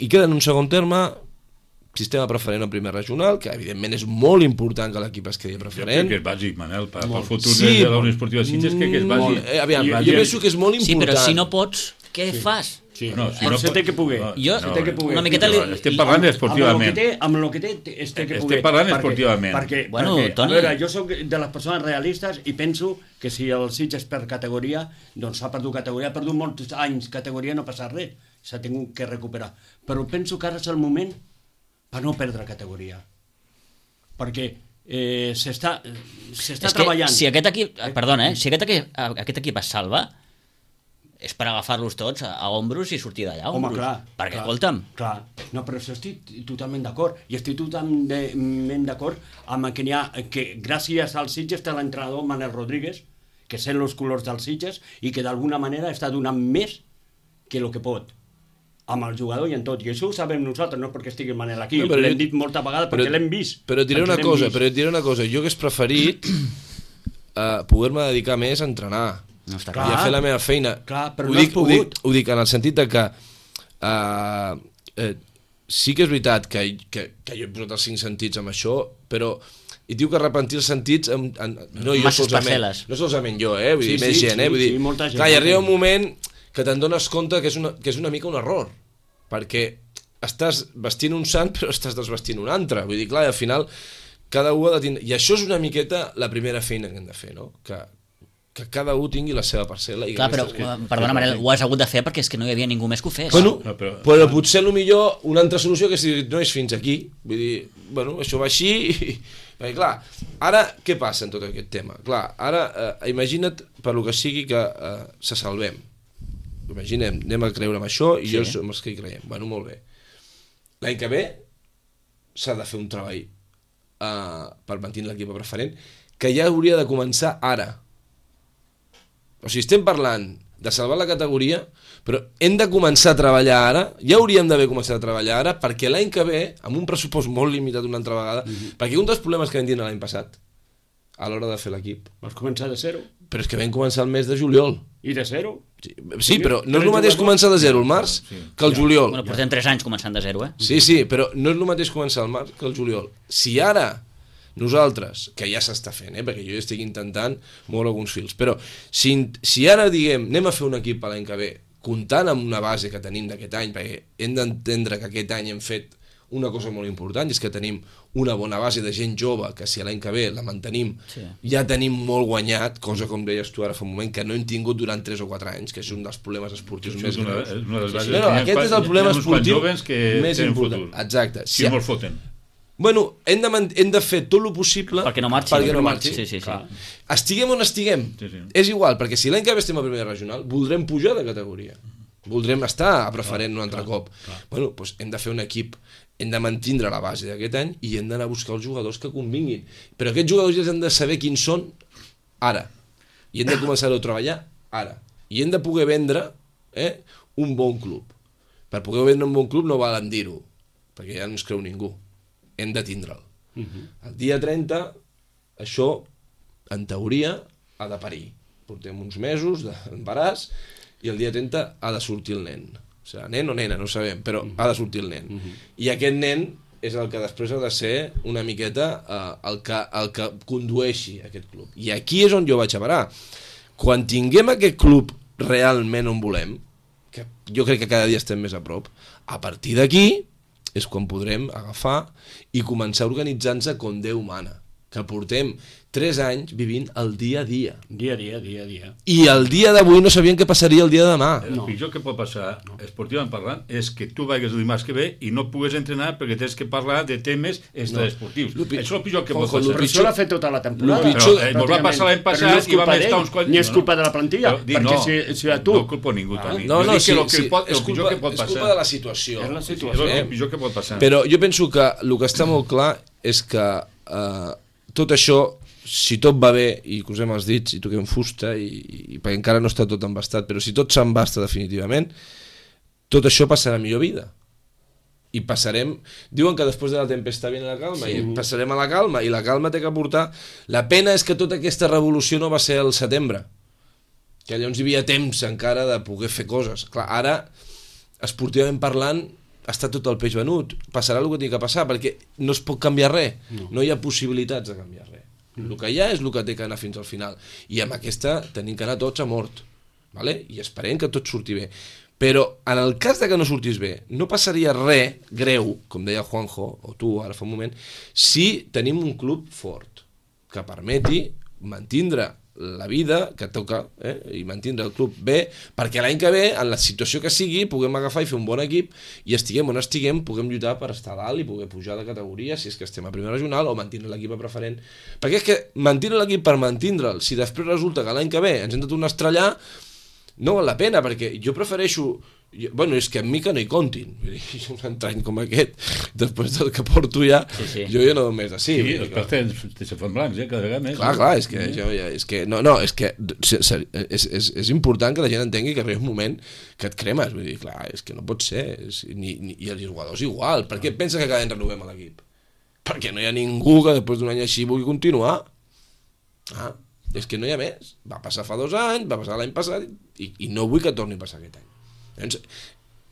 I queda en un segon terme sistema preferent al primer regional, que evidentment és molt important que l'equip es quedi preferent. Jo crec que és bàsic, Manel, per, pel futur sí, de la Unió Esportiva Sitges, crec que és bàsic. Eh, aviam, jo, jo penso que és molt important. Sí, però si no pots, què sí. fas? Sí. No, si no se té que poder. No, jo, no, que poder. Una miqueta li... Estem parlant esportivament. Amb el que té, es té que poder. Estem parlant esportivament. Perquè, bueno, perquè Toni... a veure, jo soc de les persones realistes i penso que si el Sitges per categoria, doncs s'ha perdut categoria, ha perdut molts anys categoria, no passa res, s'ha tingut que recuperar. Però penso que ara és el moment per no perdre categoria. Perquè eh, s'està treballant. Si aquest equip, perdona, eh, si aquest equip, aquest equip es salva, és per agafar-los tots a, a ombros i sortir d'allà. Home, clar. Perquè, clar, escolta'm... Clar, no, però això estic totalment d'acord. I estic totalment d'acord amb que n'hi ha, que gràcies al Sitges té l'entrenador Manel Rodríguez, que sent els colors dels Sitges i que d'alguna manera està donant més que el que pot amb el jugador i en tot, i això ho sabem nosaltres, no perquè estigui Manel aquí, no, l'hem dit molta vegada perquè l'hem vist. Però et diré una cosa, però et diré una cosa, jo hagués preferit uh, poder-me dedicar més a entrenar no està clar. i a fer la meva feina. Clar, però ho no dic, has pogut. Ho dic, ho dic en el sentit de que uh, eh, sí que és veritat que, que, que jo he posat els cinc sentits amb això, però i diu que repentir els sentits en, en, no, jo solament, no solament jo, eh? Vull sí, dir, més sí, gent, sí, eh? Vull dir, sí, molta gent, clar, i arriba un moment que te'n dones compte que és, una, que és una mica un error, perquè estàs vestint un sant però estàs desvestint un altre, vull dir, clar, i al final cada un ha de tindre... I això és una miqueta la primera feina que hem de fer, no? Que, que cada un tingui la seva parcel·la. I clar, però, que... perdona, Manel, ho has hagut de fer perquè és que no hi havia ningú més que ho fes. Bueno, no, però... però potser el millor una altra solució que si no és fins aquí, vull dir, bueno, això va així i... Perquè clar, ara què passa en tot aquest tema? Clar, ara eh, imagina't per lo que sigui que eh, se salvem. Imaginem, anem a creure amb això i sí. jo som els que hi creiem. Bueno, molt bé. L'any que ve s'ha de fer un treball uh, per mantenir l'equip preferent que ja hauria de començar ara. O sigui, estem parlant de salvar la categoria, però hem de començar a treballar ara, ja hauríem d'haver començat a treballar ara, perquè l'any que ve, amb un pressupost molt limitat una altra vegada, mm-hmm. perquè un dels problemes que vam tindre l'any passat, a l'hora de fer l'equip... Vas començar de zero. Però és que vam començar el mes de juliol. I de zero? Sí, sí, però no és el mateix començar de zero el març que el juliol. Bueno, portem tres anys començant de zero, eh? Sí, sí, però no és el mateix començar el març que el juliol. Si ara nosaltres, que ja s'està fent, eh, perquè jo estic intentant moure alguns fils, però si, si ara diguem anem a fer un equip l'any que ve, comptant amb una base que tenim d'aquest any, perquè hem d'entendre que aquest any hem fet una cosa molt important, i és que tenim una bona base de gent jove, que si l'any que ve la mantenim, sí. ja tenim molt guanyat, cosa com deies tu ara fa un moment, que no hem tingut durant tres o quatre anys, que és un dels problemes esportius sí, més greus. Una, una sí, no, no, aquest és el problema esportiu que més important. Futur. Exacte. Si, si no el foten. Bueno, hem de, hem de fer tot el possible perquè no marxi. Perquè no marxi. Sí, sí, sí. Estiguem on estiguem, sí, sí. És igual, perquè si l'any que ve estem a primera regional, voldrem pujar de categoria. Voldrem estar a preferent un altre cop. Bueno, doncs hem de fer un equip, hem de mantindre la base d'aquest any i hem d'anar a buscar els jugadors que convinguin. Però aquests jugadors ja han de saber quins són ara. I hem de començar-ho a treballar ara. I hem de poder vendre eh, un bon club. Per poder vendre un bon club no valen dir-ho, perquè ja no ens creu ningú. Hem de tindre'l. El dia trenta, això, en teoria, ha de parir. Portem uns mesos d'embaràs i el dia trenta ha de sortir el nen. O sigui, nen o nena, no ho sabem, però uh-huh. ha de sortir el nen. Uh-huh. I aquest nen és el que després ha de ser una miqueta uh, el, que, el que condueixi aquest club. I aquí és on jo vaig a parar. Quan tinguem aquest club realment on volem, que jo crec que cada dia estem més a prop, a partir d'aquí és quan podrem agafar i començar a organitzar-nos com Déu mana. Que portem tres anys vivint el dia a dia. Dia a dia, dia a dia. I el dia d'avui no sabien què passaria el dia de demà. El no. pitjor que pot passar, no. esportivament parlant, és que tu vagis el dimarts que ve i no pugues entrenar perquè tens que parlar de temes extraesportius. No. Això és el pitjor que pot passar. Però això l'ha fet tota la temporada. Pitjor, però, eh, ens va passar l'any passat no i vam estar uns quants... Ni és culpa de la plantilla, però, perquè no, si, si a tu... No culpa ningú, ah, Toni. No, no, sí, el, sí, pot, el és, culpa, que pot és culpa de la situació. És la situació. És el pitjor que pot passar. Però jo penso que el que està molt clar és que eh, tot això, si tot va bé i cosem els dits i toquem fusta i, i perquè encara no està tot embastat, però si tot s'embasta definitivament, tot això passarà a millor vida i passarem, diuen que després de la tempesta viene la calma, sí. i passarem a la calma i la calma té que portar, la pena és que tota aquesta revolució no va ser al setembre, que llavors hi havia temps encara de poder fer coses. Clar, ara esportivament parlant està tot el peix venut, passarà el que té que passar perquè no es pot canviar res, no, no hi ha possibilitats de canviar res. El que hi ha és el que té que anar fins al final i amb aquesta tenim que anar tots a mort, vale? I esperem que tot surti bé, però en el cas de que no sortís bé no passaria res greu, com deia Juanjo o tu ara fa un moment, si tenim un club fort que permeti mantindre la vida que toca eh? i mantindre el club bé, perquè l'any que ve en la situació que sigui puguem agafar i fer un bon equip i estiguem on estiguem puguem lluitar per estar dalt i poder pujar de categoria si és que estem a primera regional o mantindre l'equip a preferent, perquè és que mantindre l'equip per mantindre'l, si després resulta que l'any que ve ens hem de tornar a estrellar no val la pena, perquè jo prefereixo jo, bueno, és que amb mi que no hi comptin un entrany com aquest després del que porto ja, sí, sí. jo ja no només així sí, els partits se fan blancs, eh, cada vegada més clar, clar, és que, jo, ja, és que no, no, és que és, és, és important que la gent entengui que arriba un moment que et cremes, vull dir, clar, és que no pot ser és, ni, ni, i els jugadors igual per què pensa que cada any renovem a l'equip? Perquè no hi ha ningú que després d'un any així vulgui continuar ah, és que no hi ha més va passar fa dos anys, va passar l'any passat i, i no vull que torni a passar aquest any.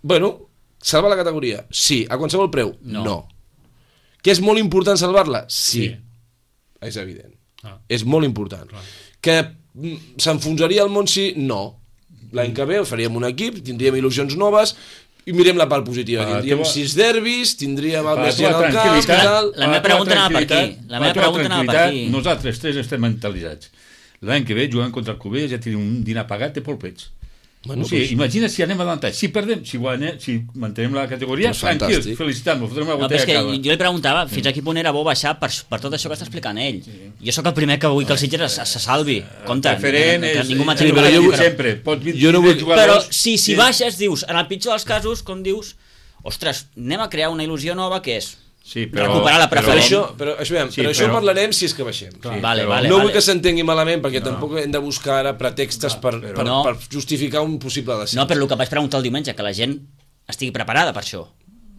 Bueno, salvar la categoria? Sí. A qualsevol preu? No. no. Que és molt important salvar-la? Sí. sí. És evident. Ah. És molt important. Clar. Que s'enfonsaria el món si? No. L'any que ve faríem un equip, tindríem il·lusions noves i mirem la part positiva. Ah, tindríem teva... sis derbis, tindríem el Messi al camp i tal. La meva pregunta anava per aquí. La meva pregunta anava per aquí. Nosaltres tres estem mentalitzats. L'any que ve, jugant contra el Cubelles, ja tenim un dinar pagat de polpets. Bueno, o sigui, pues... imagina si anem avançant, si perdem, si guanyem, si mantenem la categoria, pues tranquils, felicitant-nos, fotrem una botella no, cada. Jo li preguntava fins a quin punt era bo baixar per, per tot això que està explicant ell. Sí. Jo sóc el primer que vull que el Sitges se, se salvi. Compte, que, que ningú m'ha tingut. Jo vull sempre, pots dir jo no vull... Però si, si baixes, dius, en el pitjor dels casos, com dius, ostres, anem a crear una il·lusió nova que és sí, però, recuperar la preferent. Però, això, però, això, veiem, sí, però, però això parlarem si és que baixem. Sí, vale, vale, no vale. vull que s'entengui malament perquè no. tampoc hem de buscar ara pretextes per, per, no. per justificar un possible descens. No, però el que vaig preguntar el diumenge, que la gent estigui preparada per això.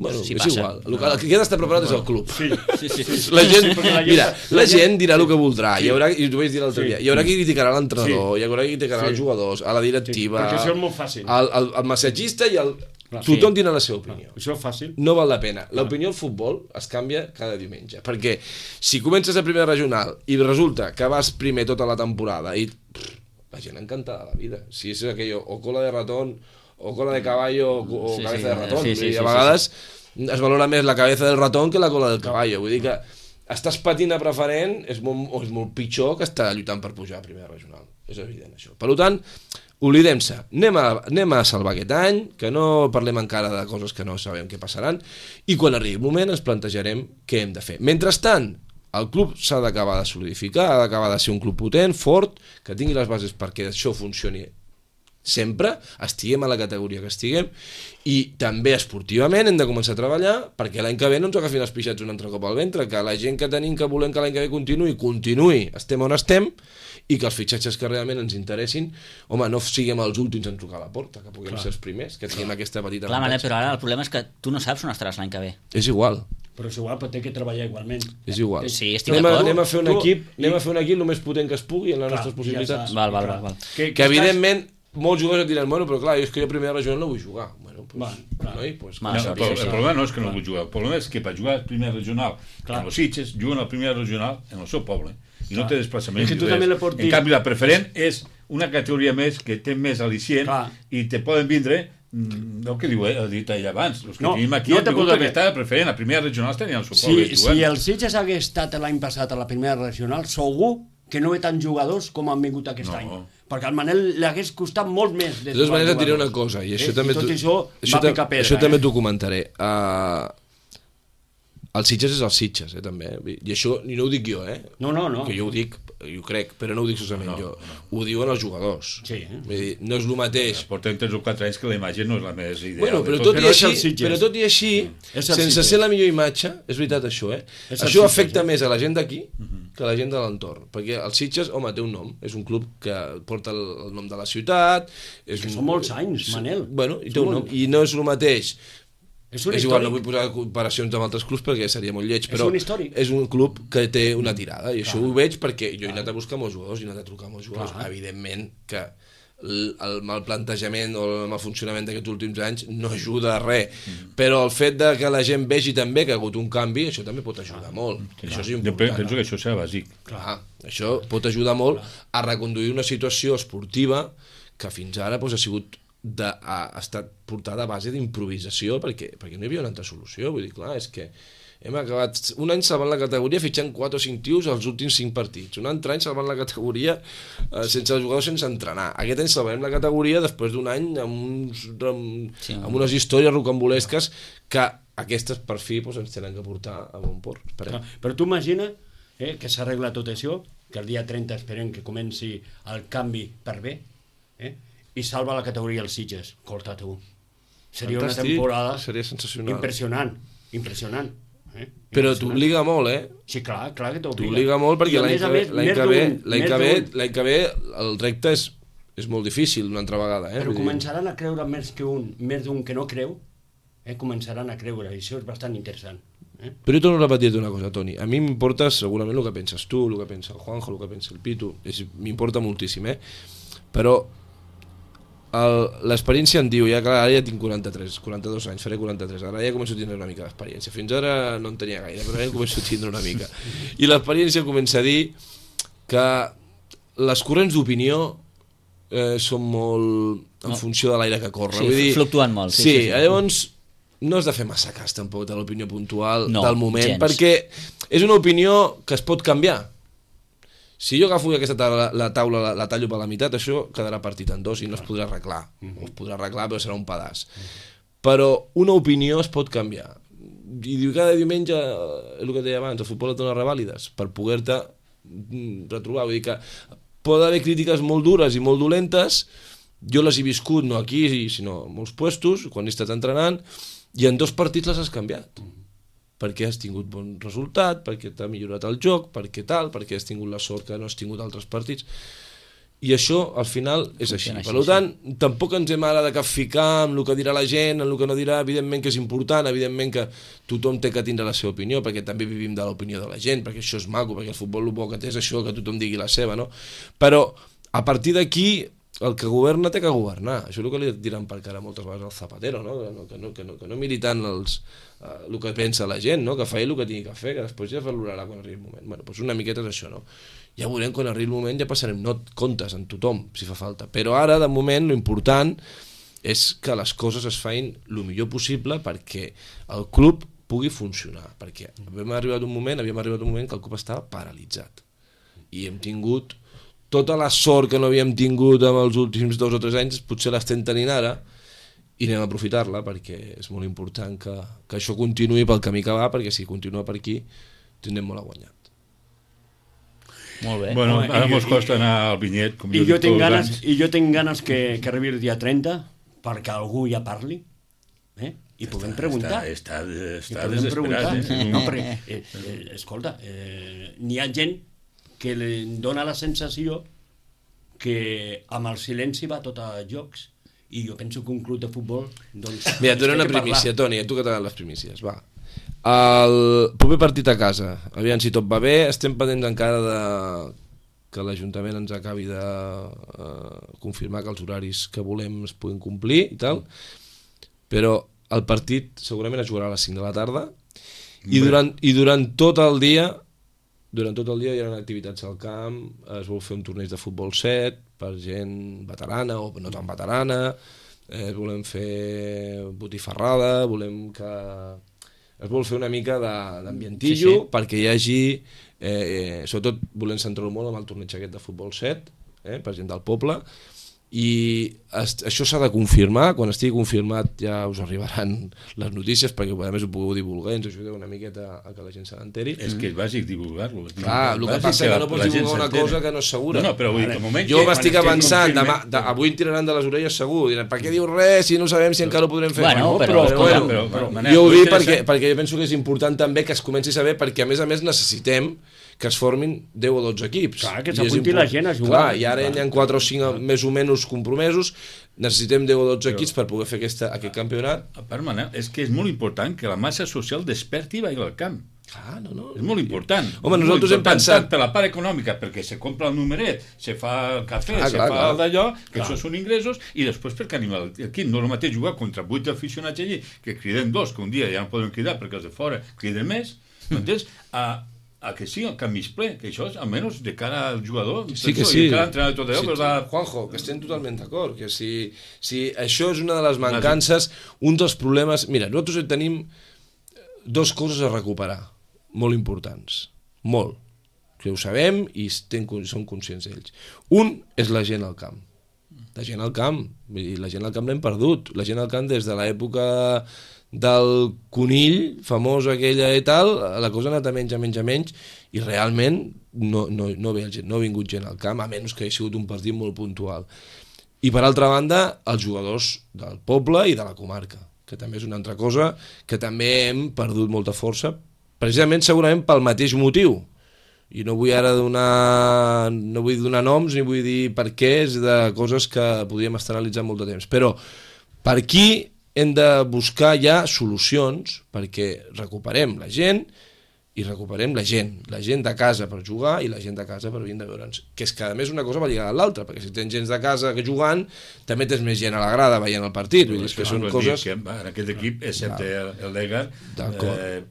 Bueno, si és passa. igual. El que, el que ha d'estar preparat és el club. Sí, sí, sí. sí. La gent, sí, la mira, la gent dirà el que voldrà. Sí. Hi haurà, i ho vaig dir l'altre sí. dia, hi haurà qui criticarà l'entrenador, sí. hi haurà qui criticarà sí. els jugadors, a la directiva, sí, perquè això és molt fàcil. El, el, el massatgista i el... Clar, tothom sí. tindrà la seva opinió. Clar, això és fàcil. No val la pena. L'opinió al futbol es canvia cada diumenge. Perquè si comences a primera regional i resulta que vas primer tota la temporada i pff, la gent encantada de la vida. Si és aquello, o cola de ratón, o cola de caballo, o, o sí, cabeza sí, de ratón. Sí, sí, sí, a vegades... Sí, sí. es valora més la cabeza del ratón que la cola del cavall. Vull dir que estàs patint a preferent és molt, és molt pitjor que estar lluitant per pujar a primera regional. És evident, això. Per tant, oblidem-se. Anem a, anem a salvar aquest any, que no parlem encara de coses que no sabem què passaran, i quan arribi el moment ens plantejarem què hem de fer. Mentrestant, el club s'ha d'acabar de solidificar, ha d'acabar de ser un club potent, fort, que tingui les bases perquè això funcioni sempre, estiguem a la categoria que estiguem, i també esportivament hem de començar a treballar perquè l'any que ve no ens agafin els pixats un altre cop al ventre, que la gent que tenim que volem que l'any que ve continuï, continuï, estem on estem, i que els fitxatges que realment ens interessin, home, no siguem els últims en trucar a la porta, que puguem Clar. ser els primers, que tinguem aquesta petita Clar, Manel, però ara el problema és que tu no saps on estaràs l'any que ve. És igual. Però és igual, però té que treballar igualment. És igual. Sí, estic anem, a, d'acord. anem a fer un Tu- equip, anem i- a fer un equip el més potent que es pugui en les Clar, nostres ja possibilitats. està. Val, val, val, val. Que, Que evidentment molts jugadors et diran, bueno, però clar, és que jo a primera regional no vull jugar. Bueno, pues, Va, clar. noi, pues, Va, No, això, el, el sí, sí. problema no és que no vull jugar, el problema és que per jugar a primera regional Clar. en els Sitges, juguen a la primera regional en el seu poble i no Clar. té desplaçament. És que tu ni res. també li pots dir- En canvi, la preferent és una categoria més que té més al·licient Clar. i te poden vindre mm, el que diu, eh, el dit allà abans, els que No, tenim aquí no han te vingut puc perquè dir- estava preferent, a primera regional tenien el seu poble Si, jugant. si el Sitges hagués estat l'any passat a la primera regional, segur que no ve tants jugadors com han vingut aquest No. any. Perquè al Manel li hagués costat molt més. De totes maneres et diré una cosa, i això eh? també I tot t'ho- això, això, va ta- picar pedra. això també eh? t'ho comentaré. Uh, el Sitges és el Sitges, eh, també. I això i no ho dic jo, eh? No, no, no. Que jo ho dic, jo ho crec, però no ho dic solament No, jo. no. Ho diuen els jugadors. Sí, eh? Vull dir, no és el mateix. Portem tres o quatre anys que la imatge no és la més ideal. Bueno, de però tot. tot, i Però és el així, Sitges. però tot i així, És el sense Sitges. ser la millor imatge, és veritat això, eh? És el Això Sitges, afecta eh? més a la gent d'aquí que a la gent de l'entorn, perquè el Sitges, home, té un nom, és un club que porta el, el nom de la ciutat, és Que un, són molts anys, Manel. Bueno, i té Són un nom, molt- i no és el mateix. És un És igual, històric. no vull posar comparacions amb altres clubs perquè seria molt lleig, però un històric. és un club que té una tirada, i això ho veig perquè jo he anat a buscar molts jugadors, he anat a trucar molts jugadors, Clar. evidentment que el, el mal plantejament o el mal funcionament d'aquests últims anys no ajuda a res, Mm. però el fet de que la gent vegi també que ha hagut un canvi, això també pot ajudar molt, això és Jo important. penso que això serà bàsic. Clar, això pot ajudar molt a reconduir una situació esportiva que fins ara doncs, ha sigut de, ha estat portada a base d'improvisació perquè, perquè no hi havia una altra solució. Vull dir, clar, és que hem acabat un any salvant la categoria fitxant quatre o cinc tios als últims cinc partits, un altre any salvant la categoria eh, sense els jugadors, sense entrenar. Aquest any salvarem la categoria després d'un any amb, uns, amb, Sí. amb unes històries rocambolesques que aquestes per fi doncs, ens tenen que portar a bon port. Esperem. Clar, Però tu imagina eh, que s'arregla tot això, que el dia trenta esperem que comenci el canvi per bé, eh, i salva la categoria els Sitges. Corta tu. Seria Fantàstic, una temporada seria sensacional. impressionant, impressionant. Eh? Però Impressionant. t'obliga molt, eh? Sí, clar, clar que t'obliga. T'obliga molt I perquè a l'any més a que, ve, més, l'any més que, ve, d'un- l'any més que, ve, d'un. l'any que ve el repte és, és molt difícil una altra vegada. Eh? Però Vull dir, començaran a creure més que un, més d'un que no creu, eh? començaran a creure, i això és bastant interessant. Eh? Però jo torno a repetir-te una cosa, Toni. A mi m'importa segurament el que penses tu, el que pensa el Juanjo, el que pensa el Pitu. És- M'importa moltíssim, eh? Però el- l'experiència em diu, ja que ara ja tinc quaranta-tres, quaranta-dos anys, faré quaranta-tres, ara ja començo a tindre una mica d'experiència. Fins ara no en tenia gaire, però ara ja començo a tindre una mica. I l'experiència comença a dir que les corrents d'opinió eh, són molt en No. funció de l'aire que corre. Sí, Vull dir, fluctuen molt, sí, Sí, sí, sí. llavors no has de fer massa cas tampoc de l'opinió puntual No, del moment, gens. perquè és una opinió que es pot canviar. Si jo agafo aquesta taula, la taula, la, la tallo per la meitat, això quedarà partit en dos i no es podrà arreglar. O es podrà arreglar, però serà un pedaç. Però una opinió es pot canviar. I diu, cada diumenge, és el que deia abans, el futbol et dona revàlides per poder-te mm, retrobar. Vull dir que pot haver crítiques molt dures i molt dolentes, jo les he viscut no aquí, sinó en molts puestos, quan he estat entrenant, i en dos partits les has canviat. Perquè has tingut bon resultat, perquè t'ha millorat el joc, perquè tal, perquè has tingut la sort que no has tingut altres partits. I això, al final, és així. Funciona Per així, tant, tampoc ens hem ara de capficar amb el que dirà la gent, amb el que no dirà, evidentment que és important, evidentment que tothom té que tindre la seva opinió, perquè també vivim de l'opinió de la gent, perquè això és maco, perquè el futbol el bo que té és això, que tothom digui la seva, no? Però, a partir d'aquí, el que governa té que governar. Això és el que li diran per cara moltes vegades al Zapatero, no? Que no, que no, que no, que no miri tant els, uh, el que pensa la gent, no? Que fa ell el que tingui que fer, que després ja valorarà quan arribi el moment. Bueno, doncs una miqueta és això, no? Ja veurem quan arribi el moment, ja passarem not comptes en tothom, si fa falta. Però ara, de moment, l'important és que les coses es feien el millor possible perquè el club pugui funcionar, perquè havíem arribat un moment, havíem arribat un moment que el club estava paralitzat i hem tingut tota la sort que no havíem tingut en els últims dos o tres anys, potser l'estem tenint ara i anem a aprofitar-la perquè és molt important que, que això continuï pel camí que va, perquè si continua per aquí tindrem molt a guanyar. Molt bé. Bueno, Home, ara i- mos i- costa anar al vinyet, com I jo jo dic tinc tots els ganes, anys. i jo tinc ganes que, que arribi el dia trenta perquè algú ja parli, eh? I puguem preguntar. Està, està, I està podem desesperat. preguntar. Eh? No, perquè, eh, eh, escolta, eh, n'hi ha gent que li dona la sensació que amb el silenci va tot a jocs i jo penso que un club de futbol doncs, Mira, et dono té una que parlar. primícia, Toni, tu que t'agraden les primícies, va. El proper partit a casa, aviam si tot va bé, estem pendents encara de que l'Ajuntament ens acabi de uh, confirmar que els horaris que volem es puguin complir i tal, però el partit segurament es jugarà a les cinc de la tarda i durant, i durant tot el dia durant tot el dia hi ha activitats al camp, es vol fer un torneig de futbol set per gent veterana o no tan veterana, eh, volem fer botifarrada, volem que es vol fer una mica de- d'ambientillo Sí, sí. perquè hi hagi, eh, eh, sobretot volem centrar-ho molt amb el torneig aquest de futbol set, eh, per gent del poble, i es, això s'ha de confirmar. Quan estigui confirmat ja us arribaran les notícies perquè a més ho pugueu divulgar i ens ajudeu una miqueta a que la gent se n'enteri. És que és bàsic divulgar-lo. Clar, el que passa és que no pots divulgar una cosa que no és segura. No, no, però vull dir que al moment Jo que- m'estic quan avançant, estigui demà, de, avui en tiraran de les orelles segur, diran, per què dius res si no sabem si encara ho podrem fer? Bueno, però- però, escolta, bueno, però- però, Manel, jo ho lo dic perquè, interessant- perquè jo penso que és important també que es comenci a saber, perquè a més a més necessitem que es formin deu o dotze equips. Clar, que I és s'apunti import- la gent a jugar. Clar, i ara hi ha quatre o cinc més o menys compromesos, necessitem deu o dotze equips per poder fer aquesta, aquest campionat. A part, Manel, és que és molt important que la massa social desperti i vagi al camp. Clar, no, no. És molt important. Home, És molt nosaltres hem important, pensat- tant per la part econòmica, perquè se compra el numeret, se fa el cafè, Clar, se clar, fa clar. el d'allò, que això són ingressos, i després perquè anima el- l'equip. No és el mateix jugar contra vuit aficionats allí, que criden dos, que un dia ja no poden cridar perquè els de fora criden més, m'entens? A, a que sí, el camp mig ple, que això és, almenys, de cara al jugador, Sí que penso, sí. i de cara a l'entrenador i tot allò, Sí, però la... Juanjo, que estem totalment d'acord, que si, si això és una de les mancances, un dels problemes... Mira, nosaltres tenim dos coses a recuperar, molt importants, molt, que ho sabem i estem, som conscients d'ells. Un és la gent al camp. La gent al camp, vull dir, la gent al camp l'hem perdut. La gent al camp des de l'època del conill, famós aquella i tal, la cosa ha anat a menys, a menys, a menys, i realment no, no, no, ve gent, no ha vingut gent al camp, a menys que hagi sigut un partit molt puntual. I per altra banda, els jugadors del poble i de la comarca, que també és una altra cosa que també hem perdut molta força, precisament segurament pel mateix motiu. I no vull ara donar, no vull donar noms ni vull dir per què, és de coses que podríem estar analitzant molt de temps. Però per aquí hem de buscar ja solucions perquè recuperem la gent i recuperem la gent, la gent de casa per jugar i la gent de casa per vindre a veure'ns, que és que a més una cosa va lligada a l'altra, perquè si tens gent de casa que jugant, també tens més gent a la grada veient el partit, vull dir que són coses... Que en aquest equip, excepte el, el Legar, eh,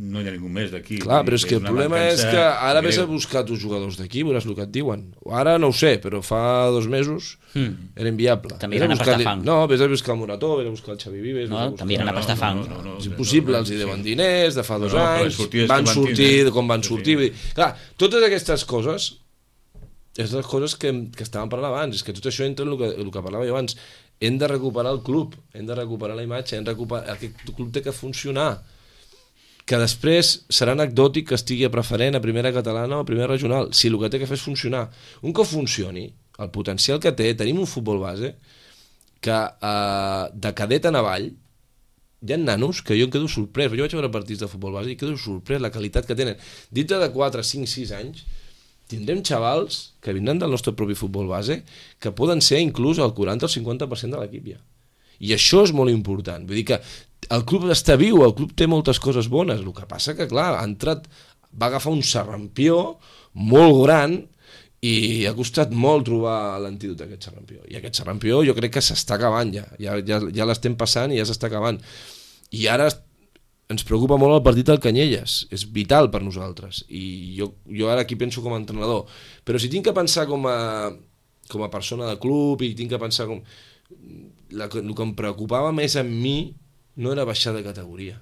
no hi ha ningú més d'aquí. Clar, però és que el problema és que ara vés a greu. buscar tus jugadors d'aquí, veuràs el que et diuen. Ara no ho sé, però fa dos mesos Mm. era inviable. També Vés a iran a buscar- pastar fang. No, vés a buscar el Morató, vés a buscar el Xavi Vives... No, vés a buscar- també iran a pastar fang. No, no, no, És impossible, els hi deuen diners de fa dos No, no, però les anys, sortides van que van sortir tindre. com van Sí, sortir. sí. Vull dir, clar, totes aquestes coses és les coses que, que estàvem parlant abans, és que tot això entra en el que, el que parlava jo abans. Hem de recuperar el club, hem de recuperar la imatge, hem de recuperar... aquest club té que funcionar, que després serà anecdòtic que estigui a preferent, a primera catalana o a primera regional, si el que té que fer és funcionar. Un cop funcioni, el potencial que té, tenim un futbol base que eh, de cadet en avall hi ha nanos que jo em quedo sorprès, jo vaig veure partits de futbol base i quedo sorprès la qualitat que tenen. Dintre de quatre, cinc, sis anys tindrem xavals que vindran del nostre propi futbol base que poden ser inclús el quaranta o el cinquanta per cent de l'equip ja. I això és molt important. Vull dir que el club està viu, el club té moltes coses bones, el que passa que, clar, ha entrat, va agafar un serrampió molt gran i ha costat molt trobar l'antídot d'aquest serrampió. I aquest serrampió jo crec que s'està acabant ja, ja, ja, ja l'estem passant i ja s'està acabant. I ara ens preocupa molt el partit del Canyelles, és vital per nosaltres, i jo, jo ara aquí penso com a entrenador, però si tinc que pensar com a, com a persona de club i tinc que pensar com... la, el que em preocupava més a mi no era baixar de categoria,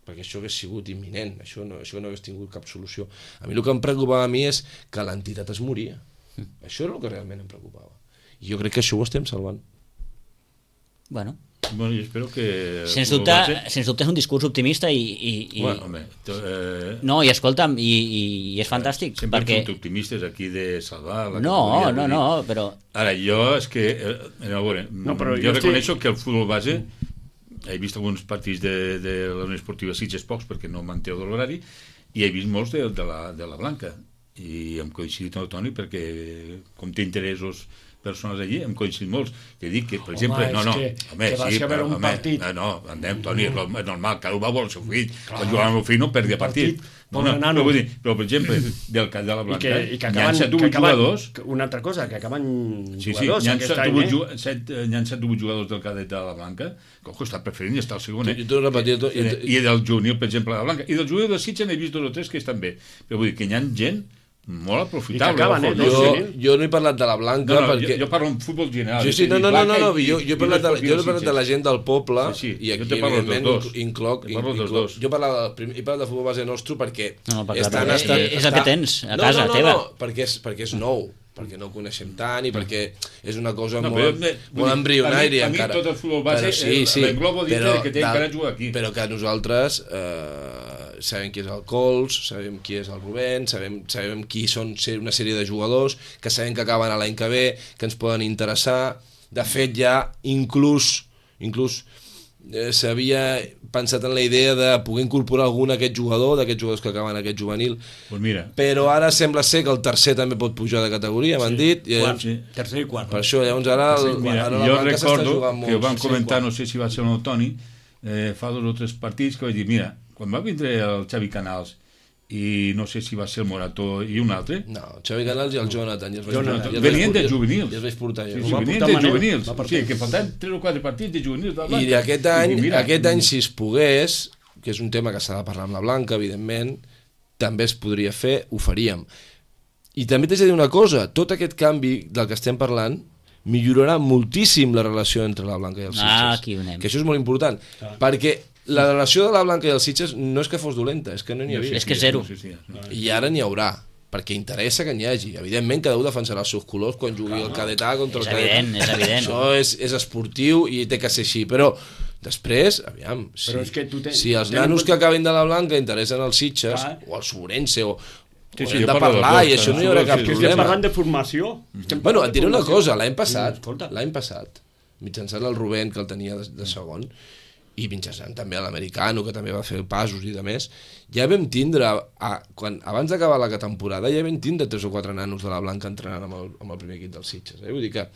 perquè això hagués sigut imminent, això no, això no hagués tingut cap solució. A mi el que em preocupava a mi és que l'entitat es moria. Mm. Això era el que realment em preocupava. I jo crec que això ho estem salvant. Bueno, Bueno, jo espero que... sens dubte, sens dubte és un discurs optimista i... i, i... Bueno, home, to, eh... No, i escolta'm, i, i, i és fantàstic, sempre perquè... hem optimistes aquí de salvar la No, categoria, no, no, però... Ara, jo és que... Eh, a veure, No, però jo, jo reconeixo estic- que el futbol base... He vist alguns partits de, de la Unió Esportiva Sitges, pocs, perquè no manteu de l'horari, i he vist molts de, de, la, de la Blanca. I hem coincidit amb el Toni perquè, com té interessos persones allí, hem coincidit molts. Te dic que, per Home, exemple... No, és no, que- home, que vas sí, a veure però, un home, partit. No, no, andem, Toni, és normal, cada un va vol el seu fill. Quan jugava amb el fill no perdia partit. partit, No, pobre no, nano. però, vull dir, però, per exemple, del camp de la I Blanca, que, i que hi ha acaben, set o que vuit acaben, jugadors. una altra cosa, que acaben Sí, sí, jugadors hi ha aquest set o any, vuit eh? ju- set, eh, hi ha set o vuit jugadors del cadet de la Blanca, que ojo, està preferint i està al segon, eh? Jo t'ho repetia tot. I, I del juvenil, per exemple, de la Blanca. I del juvenil de Sitges n'he vist dos o tres que estan bé. Però vull dir que hi ha gent molt aprofitable. I que acaben, eh, ojo. dos Jo, juvenils. jo no he parlat de la Blanca No, no, perquè... jo, jo parlo en futbol general. Sí, sí, no, no, no, no, no, jo, jo he parlat, de, jo he parlat de la gent del poble Sí, sí, i aquí, jo te parlo dels evidentment, dos. incloc... Te parlo dels incloc dos. jo parlava del prim- he parlat de futbol base nostre perquè... No, perquè estan- és- estan- és el que tens a no, casa no, no, teva. No, perquè és, perquè és nou, perquè no ho coneixem tant i perquè és una cosa No, molt, però, eh, vull molt dir, embrionària a mi- a mi encara. tot el futbol base, Però sí, eh, sí, l'englobo dintre però que té del- encara jugar aquí. Però que nosaltres eh, sabem qui és el Cols, sabem qui és el Rubén, sabem, sabem qui són ser- una sèrie de jugadors, que sabem que acaben a l'any que ve, que ens poden interessar. De fet, ja inclús, inclús eh, s'havia pensat en la idea de poder incorporar algun d'aquest jugador, d'aquests jugadors que acaben aquest juvenil, Pues mira, però ara sembla ser que el tercer també pot pujar de categoria, m'han dit, i Quart, llavors, tercer i quart. per això llavors ara, el, mira ara la jo Blanca s'està recordo jugant que ho vam molt. comentar, no sé si va ser el Toni, eh, fa dos o tres partits que vaig dir, mira, quan va vindre el Xavi Canals i no sé si va ser el Morató i un altre, No, el Xavi Canals i el Jonathan, i els vaig, Jonathan. i els venien vaig- de juvenils. i els vaig portar Sí, jo. sí, va venien portar de Manel, juvenils. va O portar. sigui, que faltaven tres o quatre partits de juvenils de la I Blanca. aquest any, I mira, aquest any, si es pogués, que és un tema que s'ha de parlar amb la Blanca, evidentment, també es podria fer, ho faríem. I també t'haig de dir una cosa, tot aquest canvi del que estem parlant millorarà moltíssim la relació entre la Blanca i els Sitges. Ah, aquí ho anem. Que això és molt important, perquè la relació de la Blanca i els Sitges no és que fos dolenta, és que no n'hi havia. És que zero. Sí, sí, sí. I ara n'hi haurà, perquè interessa que n'hi hagi. Evidentment, cada un defensarà els seus colors quan jugui el cadet A contra És el cadet A. evident, és evident. Això és, és esportiu i té que ser així, però després, aviam, si, Però és que tu tens- si els ten en nanos compte- que acabin de la Blanca interessen els Sitges, Clar. o el Sobrense, o, Sí, o sí, hem jo de parlo dels parlar, dos, i això no hi eh? haurà Sí, cap sí, Que estem problema. parlant de formació. Estem Bueno, parlant et de diré una formació. cosa, l'any Mm, passat, escolta. l'any passat, mitjançant el Rubén, que el tenia de, de segon, i mitjançant també l'americano, que també va fer passos i de més, ja vam tindre, a, quan, abans d'acabar la temporada, ja vam tindre tres o quatre nanos de la Blanca entrenant amb el, amb el primer equip dels Sitges. Eh? Vull dir que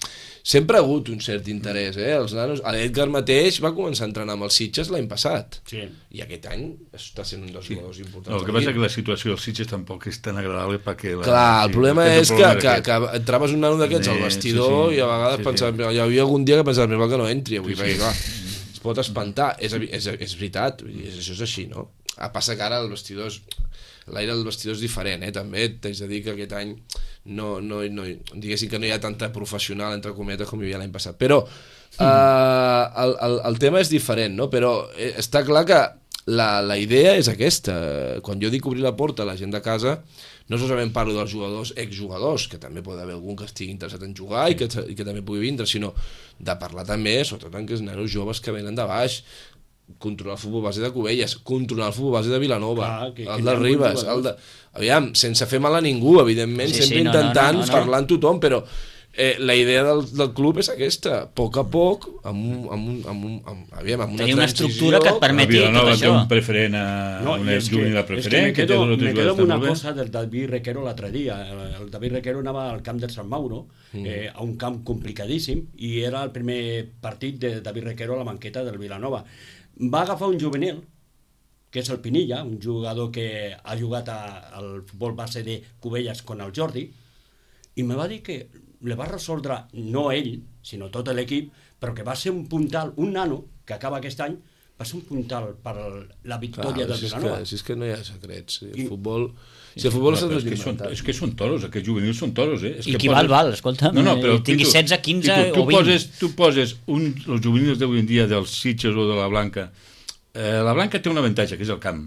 sempre ha hagut un cert interès. Eh? Els nanos, l'Edgar mateix va començar a entrenar amb els Sitges l'any passat. Sí. I aquest any està sent un dels Sí. jugadors importants. No, el que del passa és equip. que la situació dels Sitges tampoc és tan agradable perquè... La, Clar, el sí, problema aquest és el que, problema que, aquest. que et trobes un nano d'aquests al Sí, vestidor sí, sí. i a vegades Sí, sí. pensaves, hi havia algun dia que pensaves, més val que no entri avui, Sí, perquè sí. clar, es pot espantar, és, evi- és, és veritat, vull dir, és, això és així, no? A passa que ara el vestidor és, l'aire del vestidor és diferent, eh? També t'haig de dir que aquest any no, no, no, diguéssim que no hi ha tanta professional, entre cometes, com hi havia l'any passat, però eh, el, el, el tema és diferent, no? Però eh, està clar que la, la idea és aquesta. Quan jo dic obrir la porta a la gent de casa, no solament parlo dels jugadors, exjugadors, que també pot haver algun que estigui interessat en jugar i que, i que també pugui vindre, sinó de parlar també, sobretot en aquests nanos joves que venen de baix, controlar el futbol base de Cubelles, controlar el futbol base de Vilanova, Clar, que- que el hi de ha molts Ribes, jugadors. el de... Aviam, sense fer mal a ningú, evidentment, Sí, sempre sí, no, no, intentant no, no, no. parlar amb tothom, però eh, la idea del, del club és aquesta, a poc a poc, amb, un, amb, un, amb, un, amb, aviam, amb una Tenir una transició, estructura que et A permeti tot Vilanova té això. un preferent a No, una i és que, juvenil és que preferent, me que té quedo, dos o tres me quedo jugadors amb una molt bé. cosa del David Requero l'altre dia. El, el David Requero anava al camp del Sant Mauro, mm. eh, a un camp complicadíssim, i era el primer partit de David Requero a la banqueta del Vilanova. Va agafar un juvenil, que és el Pinilla, un jugador que ha jugat a, al futbol base de Cubelles con el Jordi, i me va dir que le va resoldre, no ell, sinó tot l'equip, però que va ser un puntal, un nano, que acaba aquest any, va ser un puntal per la Clar, victòria de si és, Vilanova. que, si és que no hi ha secrets. El I- futbol... Si el futbol No, s'ha però és, que desvinculat. són, és que són toros, aquests juvenils són toros, eh? És I que qui val, val, escolta, No, no, però, tingui Pitu, setze, quinze Pitu, tu o vint. Poses, tu poses un, els juvenils d'avui en dia dels Sitges o de la Blanca. Eh, la Blanca té un avantatge, que és el camp.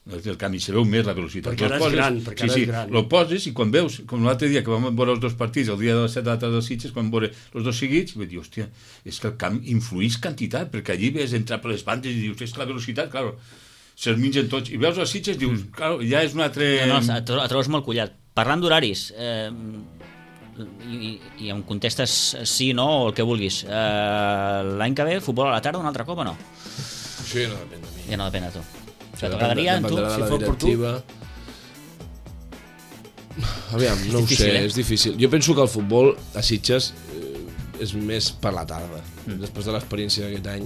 El camp, i se veu més la velocitat. Perquè ara Los és poses, gran, perquè ara sí, és sí, gran. Lo poses i quan veus, com l'altre dia que vam veure els dos partits, el dia de les set de la tarda dels Sitges, quan veure els dos seguits, vaig dir, hòstia, és que el camp influïx quantitat, perquè allí ves entrar per les bandes i dius, és que la velocitat, clar, se'ls mengen tots. I veus els Sitges i dius, clar, ja és un altre... No, no, et tro- et trobes molt collat. Parlant d'horaris, eh, i, i em contestes sí, no, o el que vulguis, eh, l'any que ve, futbol a la tarda un altre cop o no? Això ja no depèn de mi. Ja no depèn de tu. O sigui, Depèn- t'agradaria, tu? dependrà de si la fos per tu? directiva. Aviam, no ho difícil, sé, eh? és difícil. Jo penso que el futbol a Sitges eh, és més per la tarda. Mm. Després de l'experiència d'aquest any,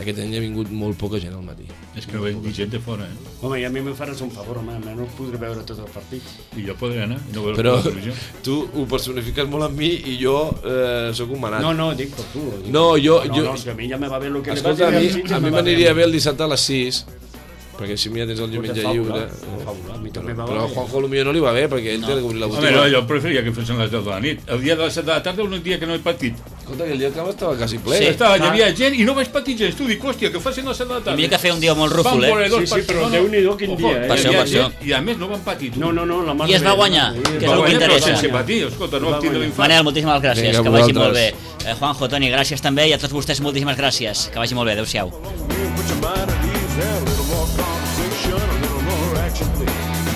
aquest any ha vingut molt poca gent al matí. És que no veig ni gent de fora, eh? Home, i a mi me faràs un favor, home, no podré veure tots els partits. I jo podré anar i no veure Però la televisió. tu ho personifiques molt amb mi i jo eh, sóc un manat. No, no, dic per tu. Dic No, jo- no, jo- No, si a mi ja me va bé el que Escolta, a li mi, vaig dir a mi va m'aniria bé el dissabte a les sis, perquè així ja tens el diumenge Pues de lliure. fàbula, de fàbula, a mi també Però, va però a bé. Juanjo potser no li va bé, perquè ell no. té de cobrir la Home, botiga. no, jo preferia que fossin les deu de la nit. El dia de les set de la tarda és un dia que no he patit. Escolta, que el dia del camp estava quasi ple. Sí. Estava, hi havia gent i no vaig patir gens. Tu dic, hòstia, que facin les set de la tarda. Hi havia que fer un dia molt rúfol, Van veure eh? dos Sí, sí, partits, però no, no. Déu-n'hi-do quin Ojo, dia, eh? hi Per això, havia per això. gent, I a més no van patir. Tu. No, no, no, la mar I es de va bé, guanyar, la mar de bé. que és el Va que guanyar, però interessa. sense patir, escolta, no Va vam tindre guanyar. l'infant. Manel, moltíssimes gràcies, Vinga, que vagi molt bé. vosaltres. Eh, Juanjo, Toni, gràcies també, i a tots vostès moltíssimes gràcies. Que vagi molt bé, adéu-siau. Put your mind at ease, have a little more conversation, a little more action, please.